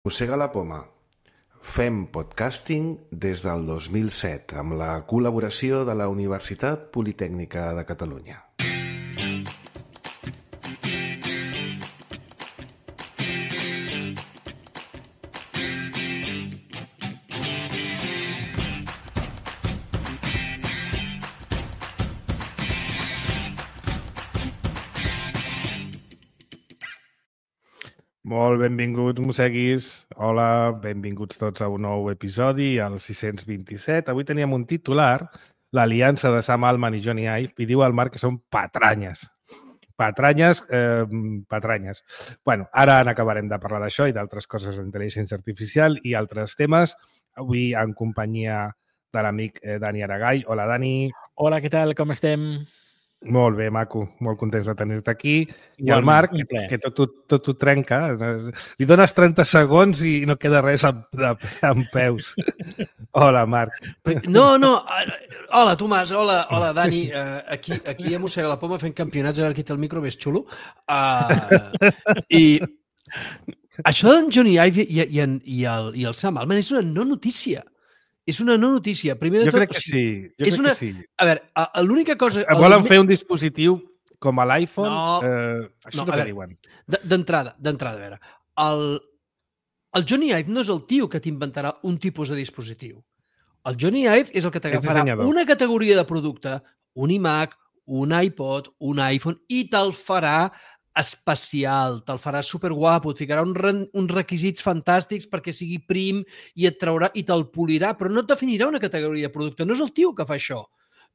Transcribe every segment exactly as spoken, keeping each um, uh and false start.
Mossega la poma. Fem podcasting des del dos mil set amb la col·laboració de la Universitat Politècnica de Catalunya. Molt benvinguts, mosseguis. Hola, benvinguts tots a un nou episodi, al sis-cents vint-i-set. Avui teníem un titular, l'aliança de Sam Altman i Jony Ive, i diu al Marc que són patranyes. Patranyes, eh, patranyes. Bueno, ara n'acabarem de parlar d'això i d'altres coses d'intel·ligència artificial i altres temes. Avui en companyia de l'amic eh, Dani Aragall. Hola, Dani. Hola, què tal? Com estem? Molt bé, maco. Molt contents de tenir-te aquí. I el Marc, que, que tot, tot, tot ho trenca. Li dones trenta segons i no queda res amb, amb peus. Hola, Marc. No, no. Hola, Tomàs. Hola, hola Dani. Uh, aquí, aquí a Mossega la Poma fent campionats a veure qui té el micro més xulo. Uh, I això d'en Jony Ive i, i, i, el, i el Sam Altman és una no notícia. És una no notícia. Primer de jo tot, crec que sí. Jo és crec una... que sí. A veure, l'única cosa... Volen fer un dispositiu com a l'iPhone? No, eh, això no, és el que veure, diuen. D'entrada, d'entrada, a veure. El, el Jony Ive no és el tio que t'inventarà un tipus de dispositiu. El Jony Ive és el que t'agafarà una categoria de producte, un iMac, un iPod, un iPhone, i te'l farà especial, te'l farà superguapo, et ficarà un, uns requisits fantàstics perquè sigui prim i et traurà i te'l polirà, però no et definirà una categoria de producte. No és el tio que fa això.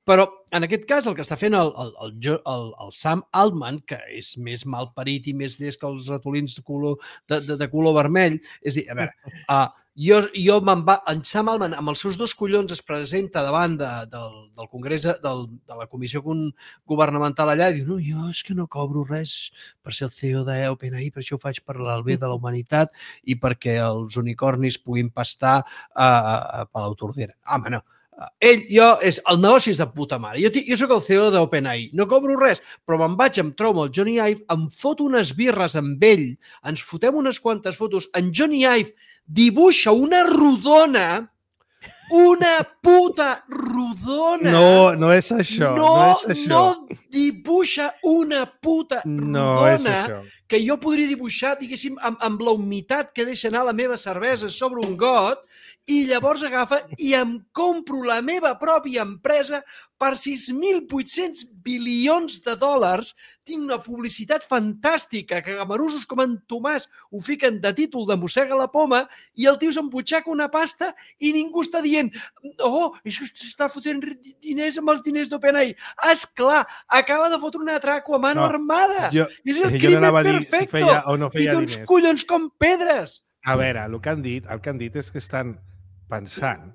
Però, en aquest cas, el que està fent el, el, el, el, el Sam Altman, que és més malparit i més llest que els ratolins de color, de, de, de color vermell, és dir, a veure, uh, jo, jo me'n va... En Sam Altman, amb els seus dos collons, es presenta davant de, del, del Congrés, del, de la Comissió Governamental allà i diu, no, jo és que no cobro res per ser el C E O d'OpenAI, per això ho faig per el bé de la humanitat i perquè els unicornis puguin pastar a, a, a Palau Tordera. Home, no. Ell, jo, és, el negoci és de puta mare. Jo, jo sóc el C E O d'OpenAI, no cobro res, però me'n vaig, em trobo el Jony Ive, em foto unes birres amb ell, ens fotem unes quantes fotos, en Jony Ive dibuixa una rodona, una puta rodona. No, no és això. No, no, és això. no dibuixa una puta no rodona és això. Que jo podria dibuixar, diguéssim, amb, amb la humitat que deixa anar la meva cervesa sobre un got i llavors agafa i em compro la meva pròpia empresa per sis mil vuit-cents bilions de dòlars. Tinc una publicitat fantàstica que gamarussos com en Tomàs ho fiquen de títol de Mossega la Poma i el tio s'embutxaca una pasta i ningú està dient oh, això està fotent diners amb els diners d'OpenAI. Esclar, acaba de fotre un atraco a mano no, armada. Jo, I és el jo crimen no perfecto. Si feia o no feia I té uns diners. collons com pedres. A veure, el que han dit, el que han dit és que estan pensant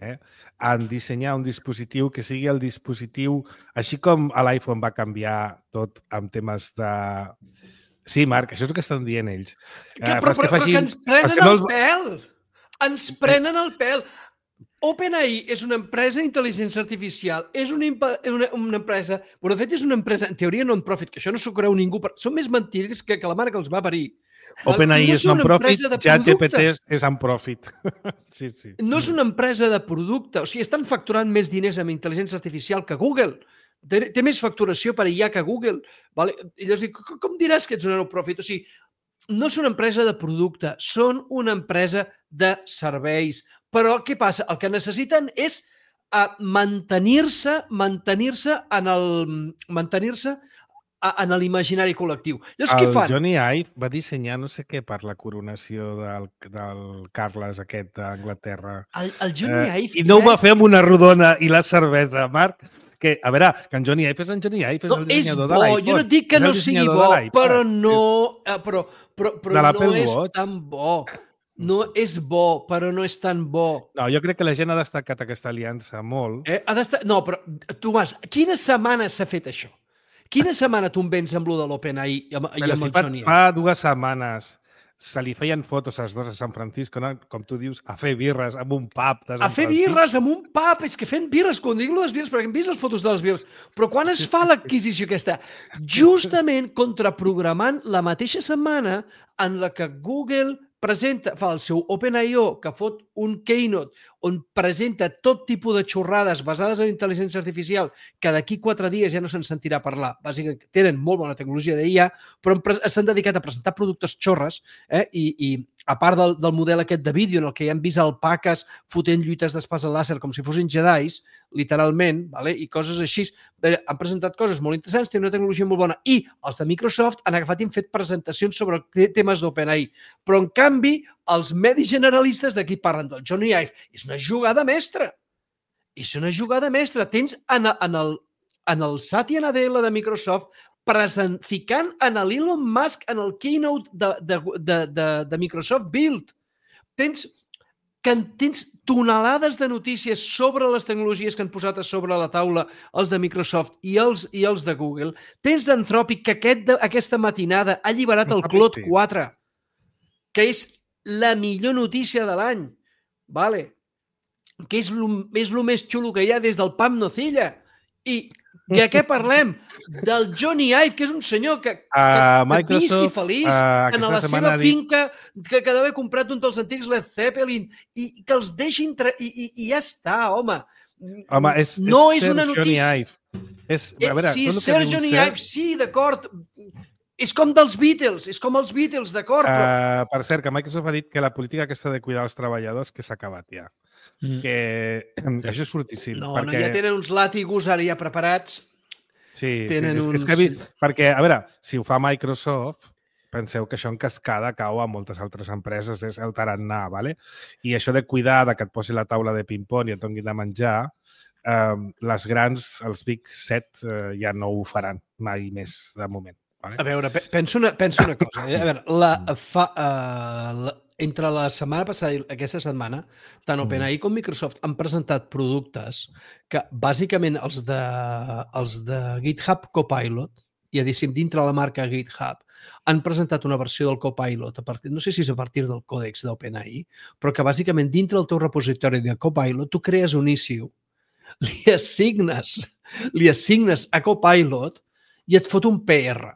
eh, en dissenyar un dispositiu que sigui el dispositiu, així com a l'iPhone va canviar tot amb temes de... Sí, Marc, això és el que estan dient ells. Que, eh, però, però, però que ens prenen que no els... el pèl! Ens prenen el pèl! OpenAI és una empresa d'intel·ligència artificial, és una, una, una empresa... Bueno, de fet, és una empresa, en teoria, non-profit, que això no s'ho creu ningú. Però són més mentides que, que la mare que els va parir. OpenAI no és non-profit, ChatGPT és non-profit. Sí, sí. No és una empresa de producte. O sigui, estan facturant més diners amb intel·ligència artificial que Google. Té, té més facturació per I A que Google. Vale? I llavors dic, com diràs que ets una non-profit? O sigui, no és una empresa de producte, són una empresa de serveis. Però què passa? El que necessiten és uh, mantenir-se mantenir-se en el mantenir-se en l'imaginari col·lectiu. Llavors, què fan? El Jony Ive va dissenyar no sé què per la coronació del, del Carles aquest d'Anglaterra. El, el Jony Ive... Eh, I no ho va fer amb una rodona i la cervesa, Marc. Que, a veure, que en Jony Ive és en Jony Ive, és no, el dissenyador és de l'iPhone. Jo no dic que no sigui bo, però no, però, però, però no és Watch. tan bo. No és bo, però no és tan bo. No, jo crec que la gent ha destacat aquesta aliança molt. Eh? Ha d'estar... No, però, Tomàs, quina setmana s'ha fet això? Quina setmana tu em vens amb lo de l'OpenAI i amb, i amb si el fa, Jony Ive? Fa dues setmanes se li feien fotos als dos a San Francisco, no? Com tu dius, a fer birres amb un pub de San A fer Francisco. birres amb un pub, és que fent birres, quan dic les birres, perquè hem vist les fotos de les birres, però quan es fa l'adquisició aquesta? Justament contraprogramant la mateixa setmana en la que Google presenta, fa el seu Open I O, que fot un keynote on presenta tot tipus de xorrades basades en intel·ligència artificial que d'aquí quatre dies ja no se'n sentirà parlar. Bàsicament, tenen molt bona tecnologia d'I A, però s'han dedicat a presentar productes xorres eh? I, i a part del, del model aquest de vídeo en el que ja han vist alpaques fotent lluites d'espasa làser com si fossin jedis, literalment, vale? I coses així. Han presentat coses molt interessants, tenen una tecnologia molt bona. I els de Microsoft han agafat i han fet presentacions sobre temes d'OpenAI. Però, en canvi, els medis generalistes d'aquí parlen del Johnny Ive. És una jugada mestra. És una jugada mestra. Tens en, en, el, en el Satya Nadella de Microsoft present, ficant en l'Elon Musk en el keynote de, de, de, de, de Microsoft Build. Tens, que tens tonelades de notícies sobre les tecnologies que han posat a sobre la taula els de Microsoft i els, i els de Google. Tens Anthropic, que aquest, aquesta matinada ha alliberat el Claude quatre, que és la millor notícia de l'any, vale? Que és el més xulo que hi ha des del Pam Nocilla. I de què parlem? Del Johnny Ive, que és un senyor que, que, uh, que visqui feliç uh, en la seva finca, que, que deu haver comprat un dels antics Led Zeppelin i que els deixin... I, i, I ja està, home. Home, és, no és, és una notícia... Johnny Ive. És, a veure, sí, és Sir Johnny Ive, sí, d'acord. És com dels Beatles, és com els Beatles, d'acord? Però... Uh, per cert, que Microsoft ha dit que la política aquesta de cuidar els treballadors que s'ha acabat ja. Mm. Que sí. Això és fortíssim. No, perquè... no, ja tenen uns làtigos ara ja preparats. Sí, tenen sí. És, uns... és que, vist, perquè, a veure, si ho fa Microsoft, penseu que això en cascada cau a moltes altres empreses, és el tarannà, ¿vale? I això de cuidar, de que et posi la taula de ping-pong i et donin de menjar, eh, les grans, els Big Set, eh, ja no ho faran mai més, de moment. Vale? A veure, penso una, penso una cosa. Eh? A veure, la, fa, uh, la, entre la setmana passada i aquesta setmana, tant OpenAI com Microsoft han presentat productes que, bàsicament, els de, els de GitHub Copilot, ja diguéssim, dintre la marca GitHub, han presentat una versió del Copilot, a partir, no sé si és a partir del còdex d'OpenAI, però que, bàsicament, dintre del teu repositori de Copilot, tu crees un issue, li assignes, li assignes a Copilot i et fot un P R.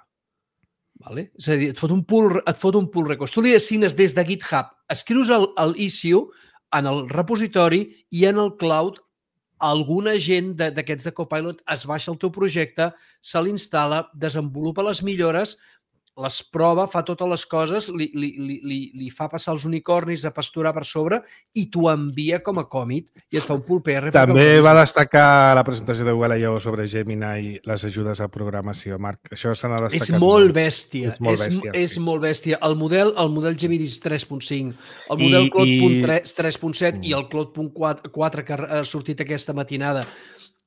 Vale? És a dir, et fot un pull, et fot un pull request. Tu li assignes des de GitHub, escrius el, el issue en el repositori i en el cloud algun agent d'aquests de, de Copilot es baixa el teu projecte, se l'instal·la, desenvolupa les millores, les prova, fa totes les coses, li, li, li, li fa passar els unicornis a pasturar per sobre i t'ho envia com a commit i et fa un pull P R. També va destacar la presentació de Google I O sobre Gemini i les ajudes a programació, Marc. Això se n'ha destacat. És molt bèstia. És molt bèstia. És, és molt bèstia. El model, el model Gemini tres punt cinc, el model Claude tres punt set i el Claude quatre que ha sortit aquesta matinada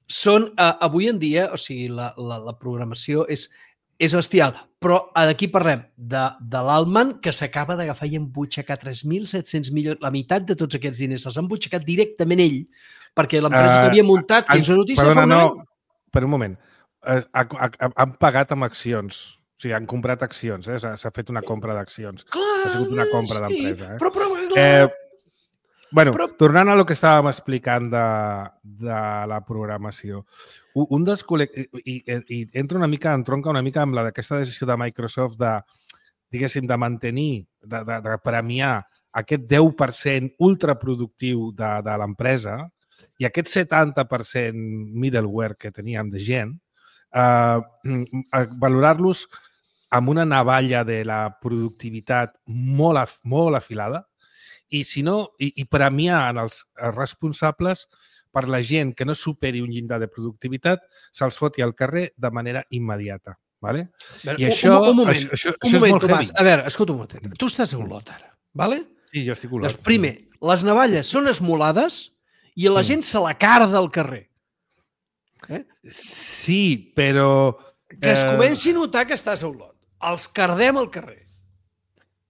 són, uh, avui en dia, o sigui, la, la, la programació és És bestial, però d'aquí parlem de, de l'Altman, que s'acaba d'agafar i embutxacar tres mil set-cents milions, la meitat de tots aquests diners els han embutxacat directament ell, perquè l'empresa uh, que havia muntat, que és una notícia... Perdona, no, per un moment. Uh, han pagat amb accions. O sigui, han comprat accions, eh? S'ha fet una compra d'accions. Ha sigut una compra sí, d'empresa. Eh? Però, però, eh, bueno, però... tornant a lo que estàvem explicant de, de la programació, un dels col·lectius, i, i entra una mica, entronca una mica amb la d'aquesta decisió de Microsoft de, diguéssim, de mantenir, de, de, de premiar aquest deu per cent ultraproductiu de, de l'empresa i aquest setanta per cent middleware que teníem de gent, eh, valorar-los amb una navalla de la productivitat molt, af, molt afilada i, si no, i, i premiar en els responsables per la gent que no superi un llindar de productivitat, se'ls foti al carrer de manera immediata. Vale? Veure, I això, un, un moment, això, això, un això moment, és molt Tomàs. heavy. A veure, escolta un moment. Tu estàs a Olot ara, vale? Sí, jo estic a Olot. Doncs, primer, les navalles són esmolades i la gent mm. se la carda al carrer. Eh? Sí, però... Que es comenci a notar que estàs a Olot. Els cardem al carrer.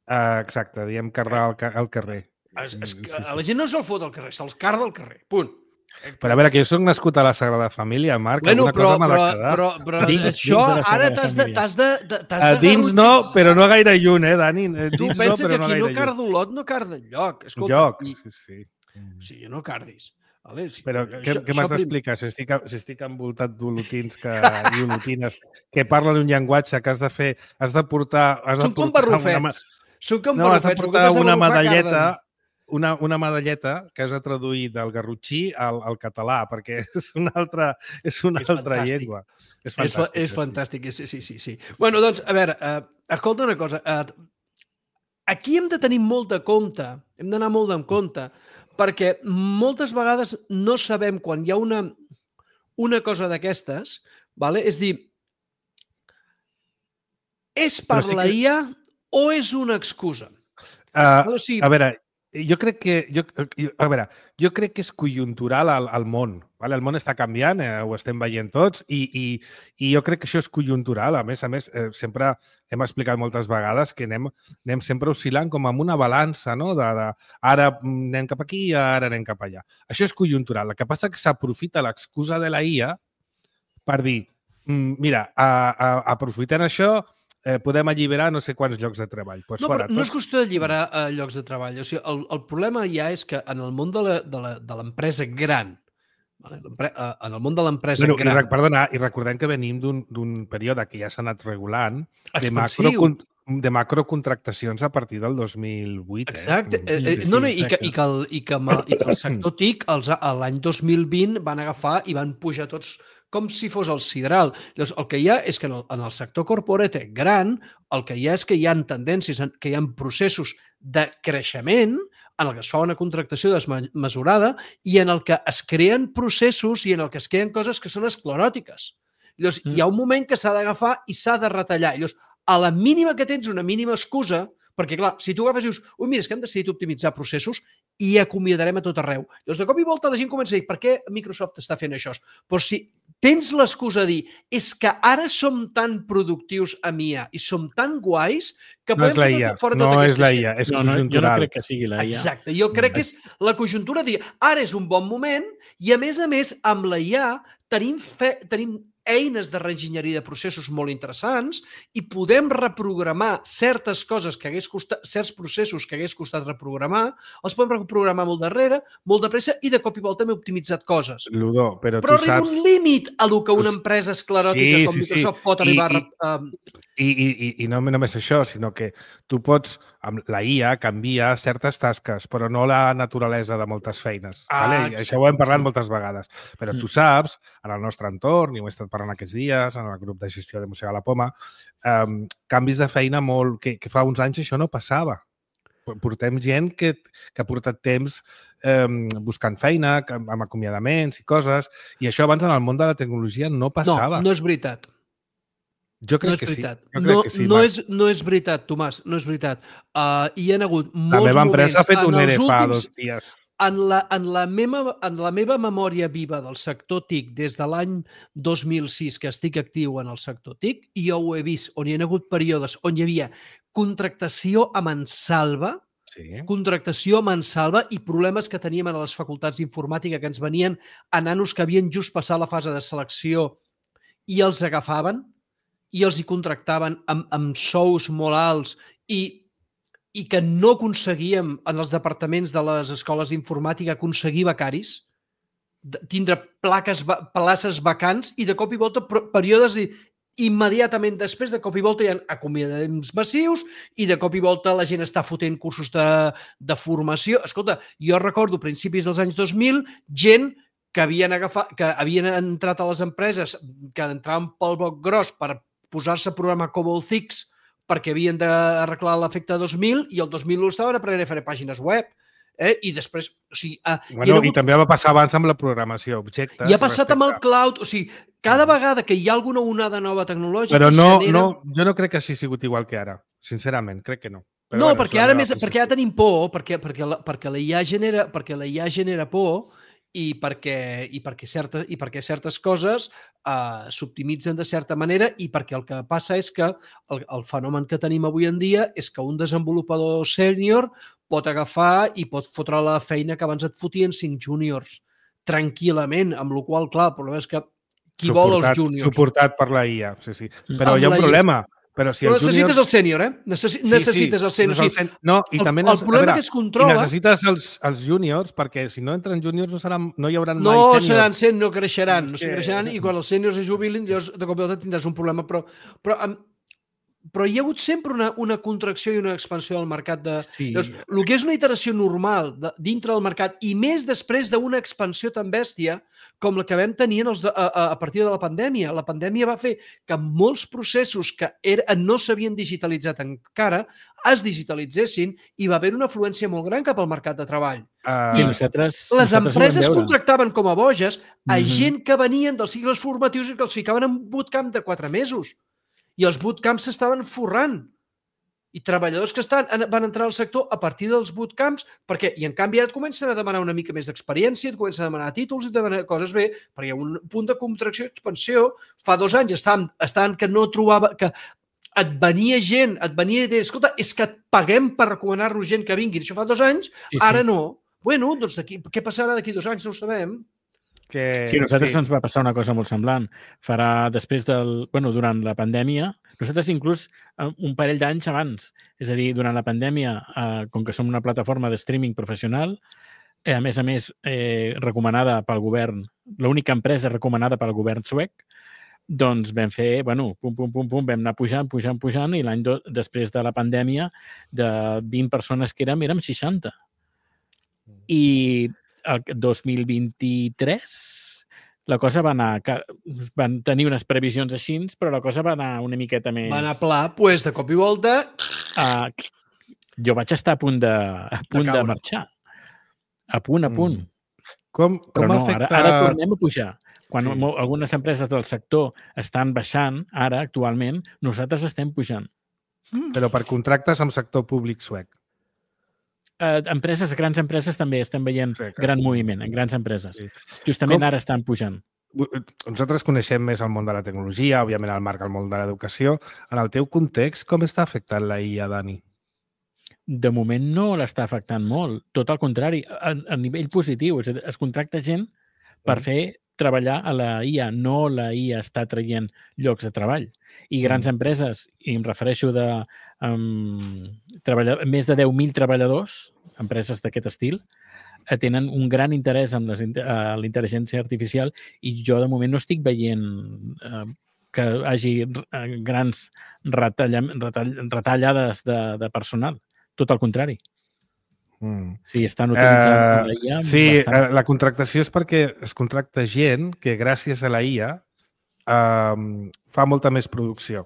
Uh, exacte, diem cardar al, al carrer. Es, es, sí, sí. A la gent no se'l fot al carrer, se'ls carda al carrer. Punt. Però a veure, que jo soc nascut a la Sagrada Família, Marc, bueno, alguna però, cosa m'ha de però, quedar. Però, però, dins, això dins ara t'has de, t'has de, t'has de... Dins no, però no gaire lluny, eh, Dani? Tu dins pensa no, que no aquí no lluny. carda Olot, no carda enlloc. Escolta, lloc, i... sí, sí. O sigui, no cardis. Vale? Sí, però això, què, què m'has d'explicar? Si estic, si estic envoltat d'olotins que, i olotines que parlen un llenguatge que has de fer, has de portar... Has Són de portar com barrufets. Una... Són com no, has de barrufets. portar una medalleta, Carden. una, una medalleta que has de traduir del garrotxí al, al català, perquè és una altra, és una És altra fantàstic. llengua. És És, fa, fantàstic. és fantàstic, sí, sí, sí. sí. Bueno, doncs, a veure, uh, escolta una cosa. Uh, aquí hem de tenir molt de compte, hem d'anar molt en compte, perquè moltes vegades no sabem quan hi ha una, una cosa d'aquestes, vale? És dir, és per sí la que... I A o és una excusa? Uh, o sigui, a veure, jo crec que jo, jo, a veure, jo crec que és conjuntural al, al món. Vale? El món està canviant, eh, ho estem veient tots, i, i, i jo crec que això és conjuntural. A més a més, eh, sempre hem explicat moltes vegades que anem, anem sempre oscil·lant com amb una balança, no? De, de, ara anem cap aquí i ara anem cap allà. Això és conjuntural. El que passa és que s'aprofita l'excusa de la I A per dir, mira, a, a, aprofitant això, eh, podem alliberar no sé quants llocs de treball. Pues no, fora, però no tots... és qüestió d'alliberar eh, llocs de treball. O sigui, el, el problema ja és que en el món de l'empresa gran, vale? En el món de l'empresa bueno, gran... I, perdona, i recordem que venim d'un període que ja s'ha anat regulant de, macro, de macrocontractacions a partir del dos mil vuit. Exacte. Eh? Eh, eh, no, no, i, que, i, que el, i, que, i que el sector T I C l'any dos mil vint van agafar i van pujar tots com si fos el sidral. Llavors, el que hi ha és que en el, en el sector corporate gran, el que hi ha és que hi ha tendències, que hi ha processos de creixement en el que es fa una contractació desmesurada i en el que es creen processos i en el que es creen coses que són escleròtiques. Llavors, mm. hi ha un moment que s'ha d'agafar i s'ha de retallar. Llavors, a la mínima que tens una mínima excusa, perquè, clar, si tu agafes i dius, ui, mira, és que hem decidit optimitzar processos i acomiadarem a tot arreu. Llavors, de cop i volta la gent comença a dir, per què Microsoft està fent això? Però si tens l'excusa de dir, és que ara som tan productius amb I A i som tan guais que no podem fer tot, fora no tota és aquesta la gent. I A, és no, no, conjuntural. Jo no crec que sigui la I A. Exacte, jo crec que és la conjuntura de dir, ara és un bon moment i, a més a més, amb la I A tenim, fe, tenim eines de reenginyeria de processos molt interessants i podem reprogramar certes coses que hagués costat, certs processos que hagués costat reprogramar, els podem reprogramar molt darrere, molt de pressa i de cop i volta hem optimitzat coses. Ludó, però, però tu arriba saps... un límit a lo que una empresa escleròtica sí, com sí, Microsoft sí. pot arribar I, a... I, i, i, i no només això, sinó que tu pots, amb la I A, canvia certes tasques, però no la naturalesa de moltes feines. Ah, vale? Això ho hem parlat moltes vegades. Però tu saps, en el nostre entorn, i ho he estat parlant aquests dies, en el grup de gestió de Mossega la Poma, um, canvis de feina molt... Que, que fa uns anys això no passava. Portem gent que, que ha portat temps um, buscant feina, amb acomiadaments i coses, i això abans en el món de la tecnologia no passava. No, no és veritat. Jo crec no és que veritat. sí. Jo crec no, que sí, no, és, no és veritat, Tomàs, no és veritat. Uh, hi ha hagut molts moments... La meva empresa ha fet un E R E fa últims... dos dies. En la, en, la meva, en la meva memòria viva del sector T I C des de l'any dos mil sis que estic actiu en el sector T I C, i jo ho he vist on hi ha hagut períodes on hi havia contractació a mansalva, sí. contractació a mansalva i problemes que teníem a les facultats d'informàtica que ens venien a nanos que havien just passat la fase de selecció i els agafaven i els hi contractaven amb, amb sous molt alts i i que no aconseguíem en els departaments de les escoles d'informàtica aconseguir becaris, tindre plaques, places vacants i de cop i volta períodes immediatament després, de cop i volta hi ha acomiadaments massius i de cop i volta la gent està fotent cursos de, de formació. Escolta, jo recordo a principis dels anys dos mil gent que havien, agafat, que havien entrat a les empreses, que entraven pel boc gros per posar-se a programar Cobol Six perquè havien d'arreglar l'efecte dos mil i el dos mil u estaven aprenent a fer pàgines web. Eh? I després... O sigui, uh, bueno, hagut... I també va passar abans amb la programació, objectes... I ha passat respecte... amb el cloud. O sigui, cada vegada que hi ha alguna onada nova tecnològica... Però no, genera... no, jo no crec que hagi sigut igual que ara. Sincerament, crec que no. Però no, bueno, perquè ara més, perquè ara tenim por, perquè, perquè, la, perquè, la I A genera, perquè la I A genera por i perquè, i perquè, certes, i perquè certes coses uh, s'optimitzen de certa manera i perquè el que passa és que el, el fenomen que tenim avui en dia és que un desenvolupador sènior pot agafar i pot fotre la feina que abans et fotien cinc júniors tranquil·lament, amb la qual, clar, el problema és que qui suportat, vol els júniors? Suportat per la I A, sí, sí. Però amb hi ha un problema. Però, si però el necessites júnior... el sènior, eh? Necessi... Sí, necessites sí, el sènior. el sen... No, i el, també... El problema veure, que es controla... I necessites els, els júniors, perquè si no entren júniors no, seran, no hi haurà no mai sèniors. No seran sèniors, no creixeran. No que... creixeran i quan els sèniors es jubilin, llavors de cop i volta tindràs un problema. Però, però però hi ha hagut sempre una, una contracció i una expansió del mercat. De, sí. Llavors, el que és una iteració normal de, dintre del mercat i més després d'una expansió tan bèstia com la que vam tenir en els de, a, a partir de la pandèmia. La pandèmia va fer que molts processos que era, no s'havien digitalitzat encara es digitalitzessin i va haver una afluència molt gran cap al mercat de treball. Uh, I nosaltres, les nosaltres empreses contractaven com a boges a Mm-hmm. gent que venien dels cicles formatius i que els ficaven en bootcamp de quatre mesos. I els bootcamps s'estaven forrant. I treballadors que estan, van entrar al sector a partir dels bootcamps, perquè, i en canvi ara et comencen a demanar una mica més d'experiència, et comencen a demanar títols i et demanar coses bé, perquè hi ha un punt de contracció i expansió. Fa dos anys estaven, estaven que no trobava... que et venia gent, et venia i deia, escolta, és que et paguem per recomanar-nos gent que vingui. Això fa dos anys, sí, sí. Ara no. Bueno, doncs què passarà d'aquí dos anys? No ho sabem. Que, sí, a nosaltres sí. ens va passar una cosa molt semblant. Farà després del... Bueno, durant la pandèmia, nosaltres inclús un parell d'anys abans, és a dir, durant la pandèmia, eh, com que som una plataforma de streaming professional, eh, a més a més, eh, recomanada pel govern, l'única empresa recomanada pel govern suec, doncs vam fer, bueno, pum, pum, pum, pum, vam anar pujant, pujant, pujant, i l'any després de la pandèmia, de vint persones que érem, érem seixanta. I el dos mil vint-i-tres la cosa va anar... Van tenir unes previsions així, però la cosa va anar una miqueta més... Va anar pla, doncs pues, de cop i volta... Uh, jo vaig estar a punt de, a punt de, de marxar. A punt, a punt. Mm. Com, com però no, afecta... ara, ara tornem a pujar. Quan sí. algunes empreses del sector estan baixant, ara, actualment, nosaltres estem pujant. Mm. Però per contractes amb sector públic suec. Uh, empreses, grans empreses també estem veient sí, gran moviment en grans empreses. Sí. Justament Com... ara estan pujant. Nosaltres coneixem més el món de la tecnologia, òbviament el Marc el món de l'educació. En el teu context, com està afectant la I A, Dani? De moment no l'està afectant molt. Tot el contrari, a, a nivell positiu. És a dir, es contracta gent per mm. fer treballar a la I A. No la I A està traient llocs de treball. I grans mm. empreses, i em refereixo de um, treballar, més de deu mil treballadors, empreses d'aquest estil, tenen un gran interès en les, uh, l'intel·ligència artificial i jo de moment no estic veient uh, que hagi uh, grans retalla, retall, retallades de, de personal. Tot el contrari. Mm. Sí, estan utilitzant uh, la I A. Sí, bastant. La contractació és perquè es contracta gent que gràcies a la I A uh, fa molta més producció.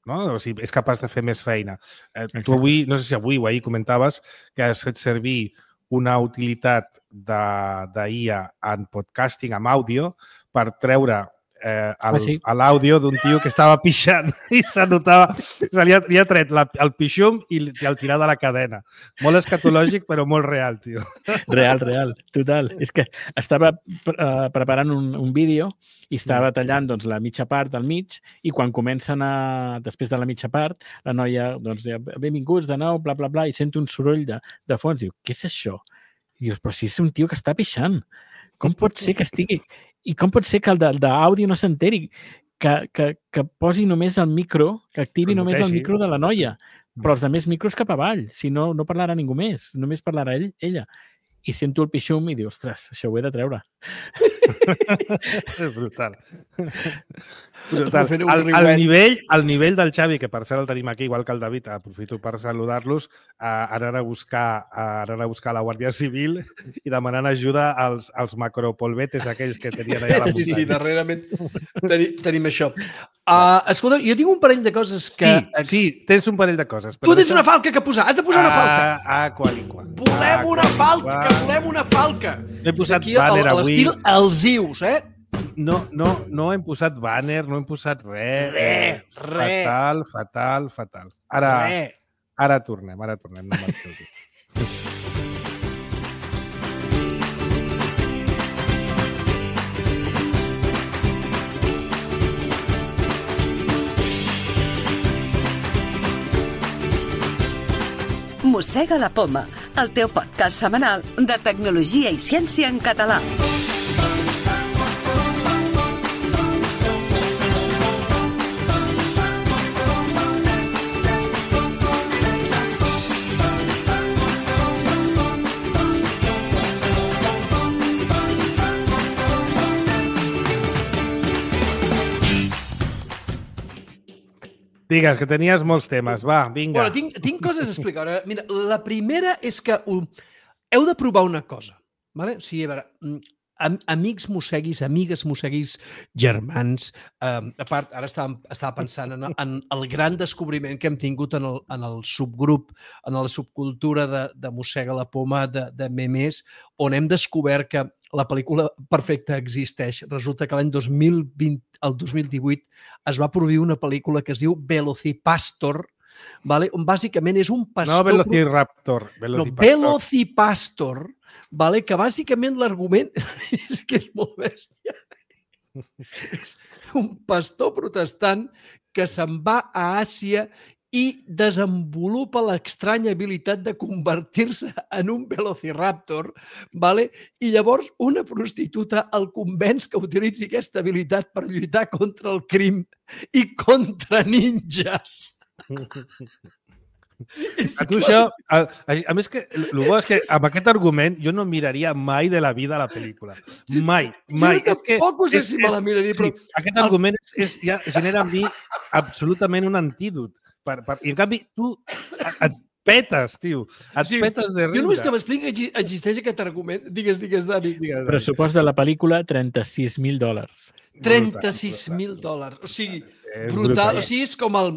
No? O sigui, és capaç de fer més feina. Uh, tu avui, no sé si avui o ahir comentaves que has fet servir una utilitat d'I A en podcasting, amb àudio, per treure eh, el, ah, sí? l'àudio d'un tio que estava pixant i se notava, se li ha, li ha tret la, el pixum i el tirar de la cadena. Molt escatològic, però molt real, tio. Real, real, total. És que estava uh, preparant un, un vídeo i estava tallant doncs, la mitja part del mig i quan comencen a... Després de la mitja part, la noia, doncs, benvinguts de nou, bla, bla, bla, i sento un soroll de, de fons. Diu, què és això? I dius, però si és un tio que està pixant. Com pot ser que estigui... I com pot ser que el d'àudio no s'enteri? Que, que, que posi només el micro, que activi només el micro de la noia, però els altres micros cap avall. Si no, no parlarà ningú més. Només parlarà ell, ella. I sento el pixum i diu, ostres, això ho he de treure. Brutal. Brutal. Al, al, nivell, al nivell del Xavi, que per cert el tenim aquí, igual que el David, aprofito per saludar-los, uh, anar, a buscar, uh, anar a buscar la Guàrdia Civil i demanant ajuda als, als macropolvetes aquells que tenien allà a la muntanya. Sí, sí, darrerament tenim, tenim això. Uh, escolta, jo tinc un parell de coses que... Sí, sí, tens un parell de coses. Tu tens una falca que posar, has de posar una falca. Ah, ah qual i qual. Volem ah, una falca, que volem una falca. No he posat aquí, banner avui. A l'estil els ius, eh? No, no, no hem posat banner, no hem posat res. Res, res. Fatal, fatal, fatal. Ara, res. Ara tornem, ara tornem. No marxeu. Mossega la Poma, el teu podcast setmanal de tecnologia i ciència en català. Digues, que tenies molts temes. Va, vinga. Bueno, tinc, tinc coses a explicar. Mira, la primera és que uh, heu de provar una cosa. Vale? O sigui, a veure, am, amics mosseguis, amigues mosseguis, germans... Eh, a part, ara estava, estava pensant en, en el gran descobriment que hem tingut en el, en el subgrup, en la subcultura de, de Mossega la Poma, de, de memes, on hem descobert que la pel·lícula perfecta existeix. Resulta que l'any dos mil vint, el dos mil divuit es va produir una pel·lícula que es diu Velocipastor, vale? On bàsicament és un pastor... No Velociraptor. Velocipastor. No, Velocipastor, vale? Que bàsicament l'argument és que és molt bèstia. És un pastor protestant que se'n va a Àsia i desenvolupa l'estranya habilitat de convertir-se en un velociraptor, vale? I llavors una prostituta el convenç que utilitzi aquesta habilitat per lluitar contra el crim i contra ninjas. A tu això, a, a, a més que el bo és que amb aquest argument jo no miraria mai de la vida la pel·lícula. Mai, mai. Jo tampoc sé si me la miraria, però... Sí, aquest argument és, és, ja genera en mi absolutament un antídot. Per, per, I en canvi tu et petes, tio. Et sí, petes de riure. Jo només que m'expliqui que existeix aquest argument. Digues, digues, Dani. Digues, Dani. Pressupost de la pel·lícula, trenta-sis mil dòlars. trenta-sis mil dòlars. O sigui, brutal. O sigui, és com el...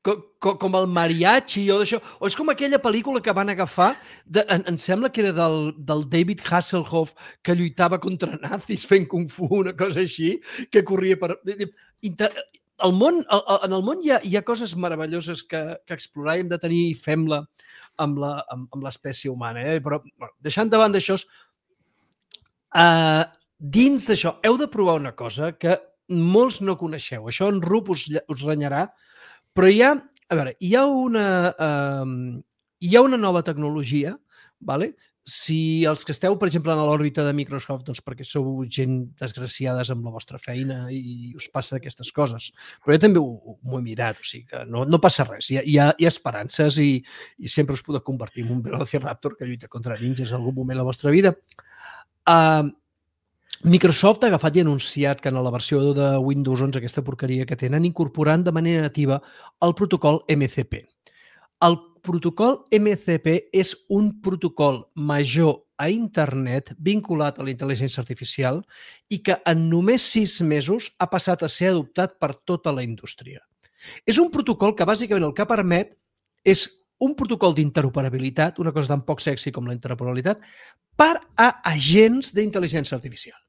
Com, com el mariachi o d'això, o és com aquella pel·lícula que van agafar, de, em, em sembla que era del, del David Hasselhoff, que lluitava contra nazis fent kung fu, una cosa així, que corria per... Inter... El món, el, en el món hi ha, hi ha coses meravelloses que, que explorar i hem de tenir i fem-la amb la, amb, amb l'espècie humana. Eh? Però, bueno, deixant davant d'això, uh, dins d'això heu de provar una cosa que molts no coneixeu. Això en Rup us, us renyarà, però hi ha, a veure, hi ha una, uh, hi ha una nova tecnologia, vale? Si els que esteu, per exemple, en l'òrbita de Microsoft, doncs perquè sou gent desgraciades amb la vostra feina i us passa aquestes coses. Però jo també ho, ho he mirat, o sigui que no, no passa res. Hi ha, hi ha, hi ha esperances i, i sempre us podeu convertir en un Velociraptor que lluita contra ninjas en algun moment de la vostra vida. Uh, Microsoft ha agafat i anunciat que en la versió de Windows onze, aquesta porqueria que tenen, incorporant de manera nativa el protocol M C P. El protocol M C P és un protocol major a internet vinculat a la intel·ligència artificial i que en només sis mesos ha passat a ser adoptat per tota la indústria. És un protocol que bàsicament el que permet és un protocol d'interoperabilitat, una cosa tan poc sexy com la interoperabilitat, per a agents d'intel·ligència artificial.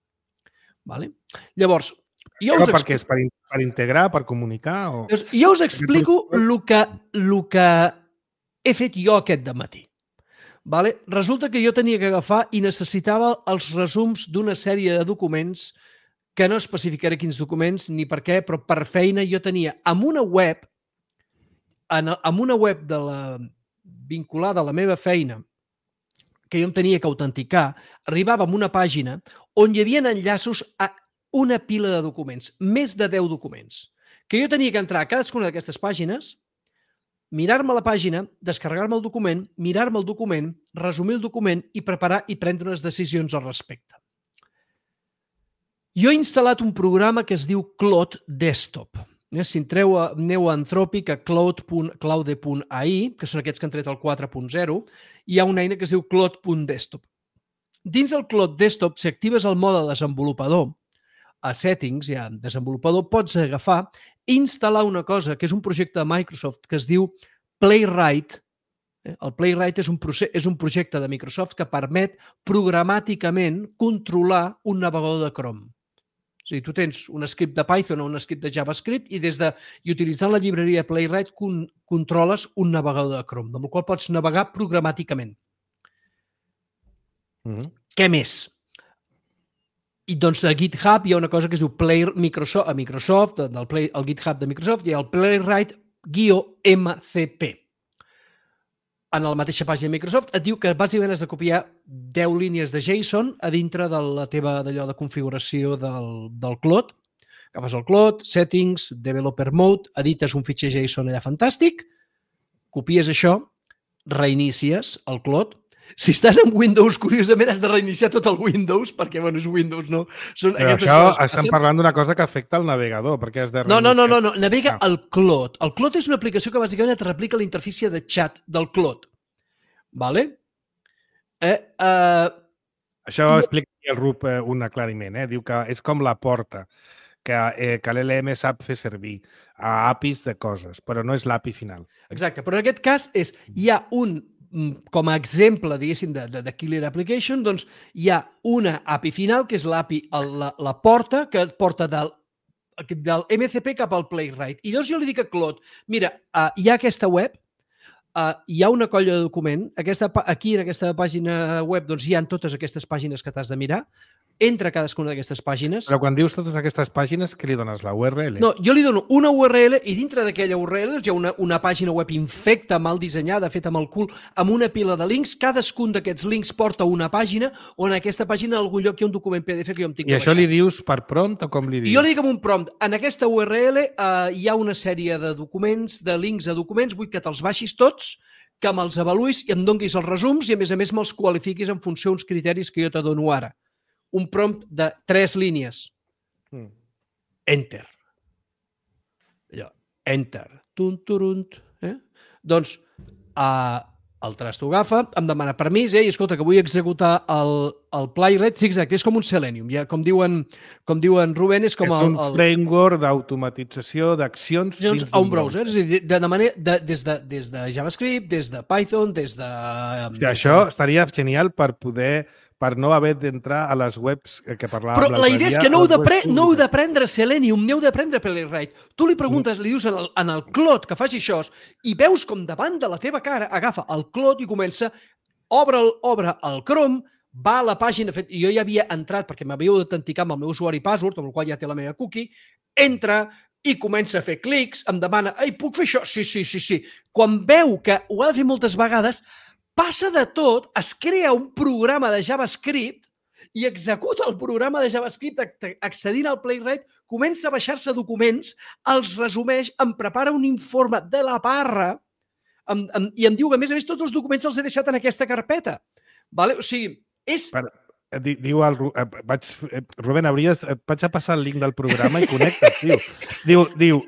Vale? Llavors, jo us explico... Per què? És per, in per integrar, per comunicar? O... Jo us explico el que, el que he fet jo aquest dematí. Vale? Resulta que jo tenia que agafar i necessitava els resums d'una sèrie de documents que no especificaré quins documents ni per què, però per feina jo tenia amb una web, en, amb una web de la, vinculada a la meva feina, que jo em tenia que autenticar, arribava a una pàgina on hi havia enllaços a una pila de documents, més de deu documents, que jo tenia que entrar a cadascuna d'aquestes pàgines, mirar-me la pàgina, descarregar-me el document, mirar-me el document, resumir el document i preparar i prendre unes decisions al respecte. Jo he instal·lat un programa que es diu Claude Desktop. Si entreu a, aneu a Anthropic, a claude punt a i, que són aquests que han tret el quatre punt zero, hi ha una eina que es diu Claude punt desktop. Dins del Claude Desktop, si actives el mode desenvolupador, a Settings, ja en desenvolupador, pots agafar i instal·lar una cosa, que és un projecte de Microsoft que es diu Playwright. El Playwright és un, és un projecte de Microsoft que permet programàticament controlar un navegador de Chrome. O sigui, tu tens un script de Python o un script de JavaScript i des de i utilitzant la llibreria Playwright con, controles un navegador de Chrome, amb el qual pots navegar programàticament. Mm-hmm. Què més? I doncs a GitHub hi ha una cosa que es diu Play Microsoft, a Microsoft, del Play, el GitHub de Microsoft, hi ha el Playwright-M C P. En la mateixa pàgina de Microsoft et diu que bàsicament has de copiar deu línies de JSON a dintre de la teva d'allò de configuració del, del Claude. Agafes el Claude, Settings, Developer Mode, edites un fitxer JSON allà fantàstic, copies això, reinicies el Claude Si estàs en Windows, curiosament, has de reiniciar tot el Windows, perquè, bueno, és Windows, no? Són Però això estem parlant d'una cosa que afecta el navegador, perquè has de reiniciar... No, no, no, no, no. Navega ah. el Clot. El Clot és una aplicació que bàsicament et replica la interfície de xat del Clot. Vale? Eh, uh... Això ho explica el Rup eh, un aclariment, eh? Diu que és com la porta, que, eh, que l'L M sap fer servir a A P Is de coses, però no és l'A P I final. Exacte, però en aquest cas és, hi ha un com a exemple, diguéssim, de, de, de Killer Application, doncs hi ha una A P I final, que és l'A P I, la, la porta, que et porta del, del M C P cap al Playwright. I llavors jo li dic a Claude, mira, uh, hi ha aquesta web, uh, hi ha una colla de document, aquesta, aquí en aquesta pàgina web doncs hi ha totes aquestes pàgines que t'has de mirar, entra cadascuna d'aquestes pàgines. Però quan dius totes aquestes pàgines, què li dones? La U R L? No, jo li dono una U R L i dintre d'aquella U R L hi ha una, una pàgina web infecta, mal dissenyada, feta amb el cul, amb una pila de links. Cadascun d'aquests links porta una pàgina on en aquesta pàgina en algun lloc hi ha un document P D F que jo em tinc que I això baixar. Li dius per prompt o com li dius? I jo li dic amb un prompt. En aquesta U R L eh, hi ha una sèrie de documents, de links a documents, vull que te'ls baixis tots, que me'ls avaluïs i em donguis els resums i a més a més me'ls qualifiquis en funció d'uns criteris que jo te dono ara. Un prompt de tres línies. Mm. Enter. Allò, enter. Tunt, turunt. Eh? Doncs uh, el trasto agafa, em demana permís, eh? I escolta, que vull executar el, el Playwright. Sí, exacte, és com un Selenium. Ja, com, diuen, com diuen Rubén, és com és el... És un el... framework d'automatització d'accions dins a un browser. browser. És a dir, de, de manera, de, des, de, des de JavaScript, des de Python, des de... Hòstia, des això de... estaria genial per poder... per no haver d'entrar a les webs que parlàvem. Però la idea és que no heu no d'aprendre Selenium, no heu d'aprendre Playwright. Tu li preguntes, li dius en el, en el Clot que faci això i veus com davant de la teva cara agafa el Clot i comença, obre el, obre el Chrome, va a la pàgina, fet, jo ja havia entrat perquè m'havia d'autenticar amb el meu usuari password, amb el qual ja té la meva cookie, entra i comença a fer clics, em demana, ei, puc fer això? Sí, sí, sí, sí. Quan veu que ho ha de fer moltes vegades, passa de tot, es crea un programa de JavaScript i executa el programa de JavaScript accedint al Playwright, comença a baixar-se documents, els resumeix, em prepara un informe de la parra em, em, i em diu que, a més a més, tots els documents els he deixat en aquesta carpeta. Vale? O sigui, és... Per... Diu el vaig, Rubén, hauries, et vaig a passar el link del programa i connectes, tio. Diu, diu,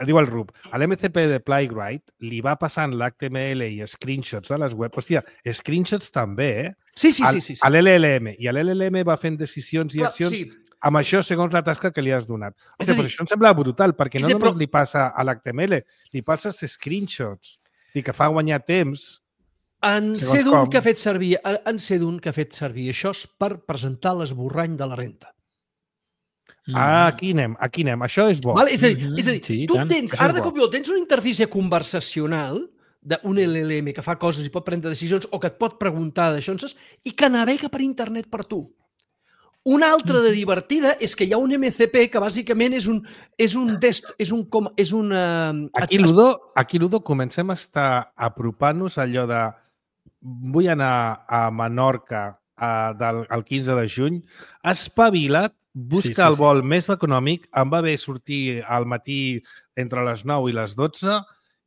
diu el Rub, a l'M C P de Playwright li va passant l'H T M L i screenshots de les webs. Hòstia, screenshots també, eh? Sí, sí, sí. sí, sí. A l'L L M. I a l'L L M va fent decisions i accions sí. amb això segons la tasca que li has donat. Hòstia, però això em sembla brutal, perquè no només li passa a l'H T M L, li passa als screenshots. I que fa guanyar temps... En sé d'un que ha fet servir, en sé d'un que ha fet servir això per presentar l'esborrany de la renta. Ah, aquí anem, aquí anem. Això és bo. Vale? És a dir, és a dir sí, tu tant. tens, això ara de cop i volta, tens una interfície conversacional d'un L L M que fa coses i pot prendre decisions o que et pot preguntar d'això i que navega per internet per tu. Una altra de divertida és que hi ha un M C P que bàsicament és un és un dest, és un com és una Aquí Ludo, aquí Ludo comencem a estar apropant-nos allò de vull anar a Menorca a, del, el quinze de juny, espavila't, busca sí, sí, el vol sí. més econòmic, em va bé sortir al matí entre les nou i les dotze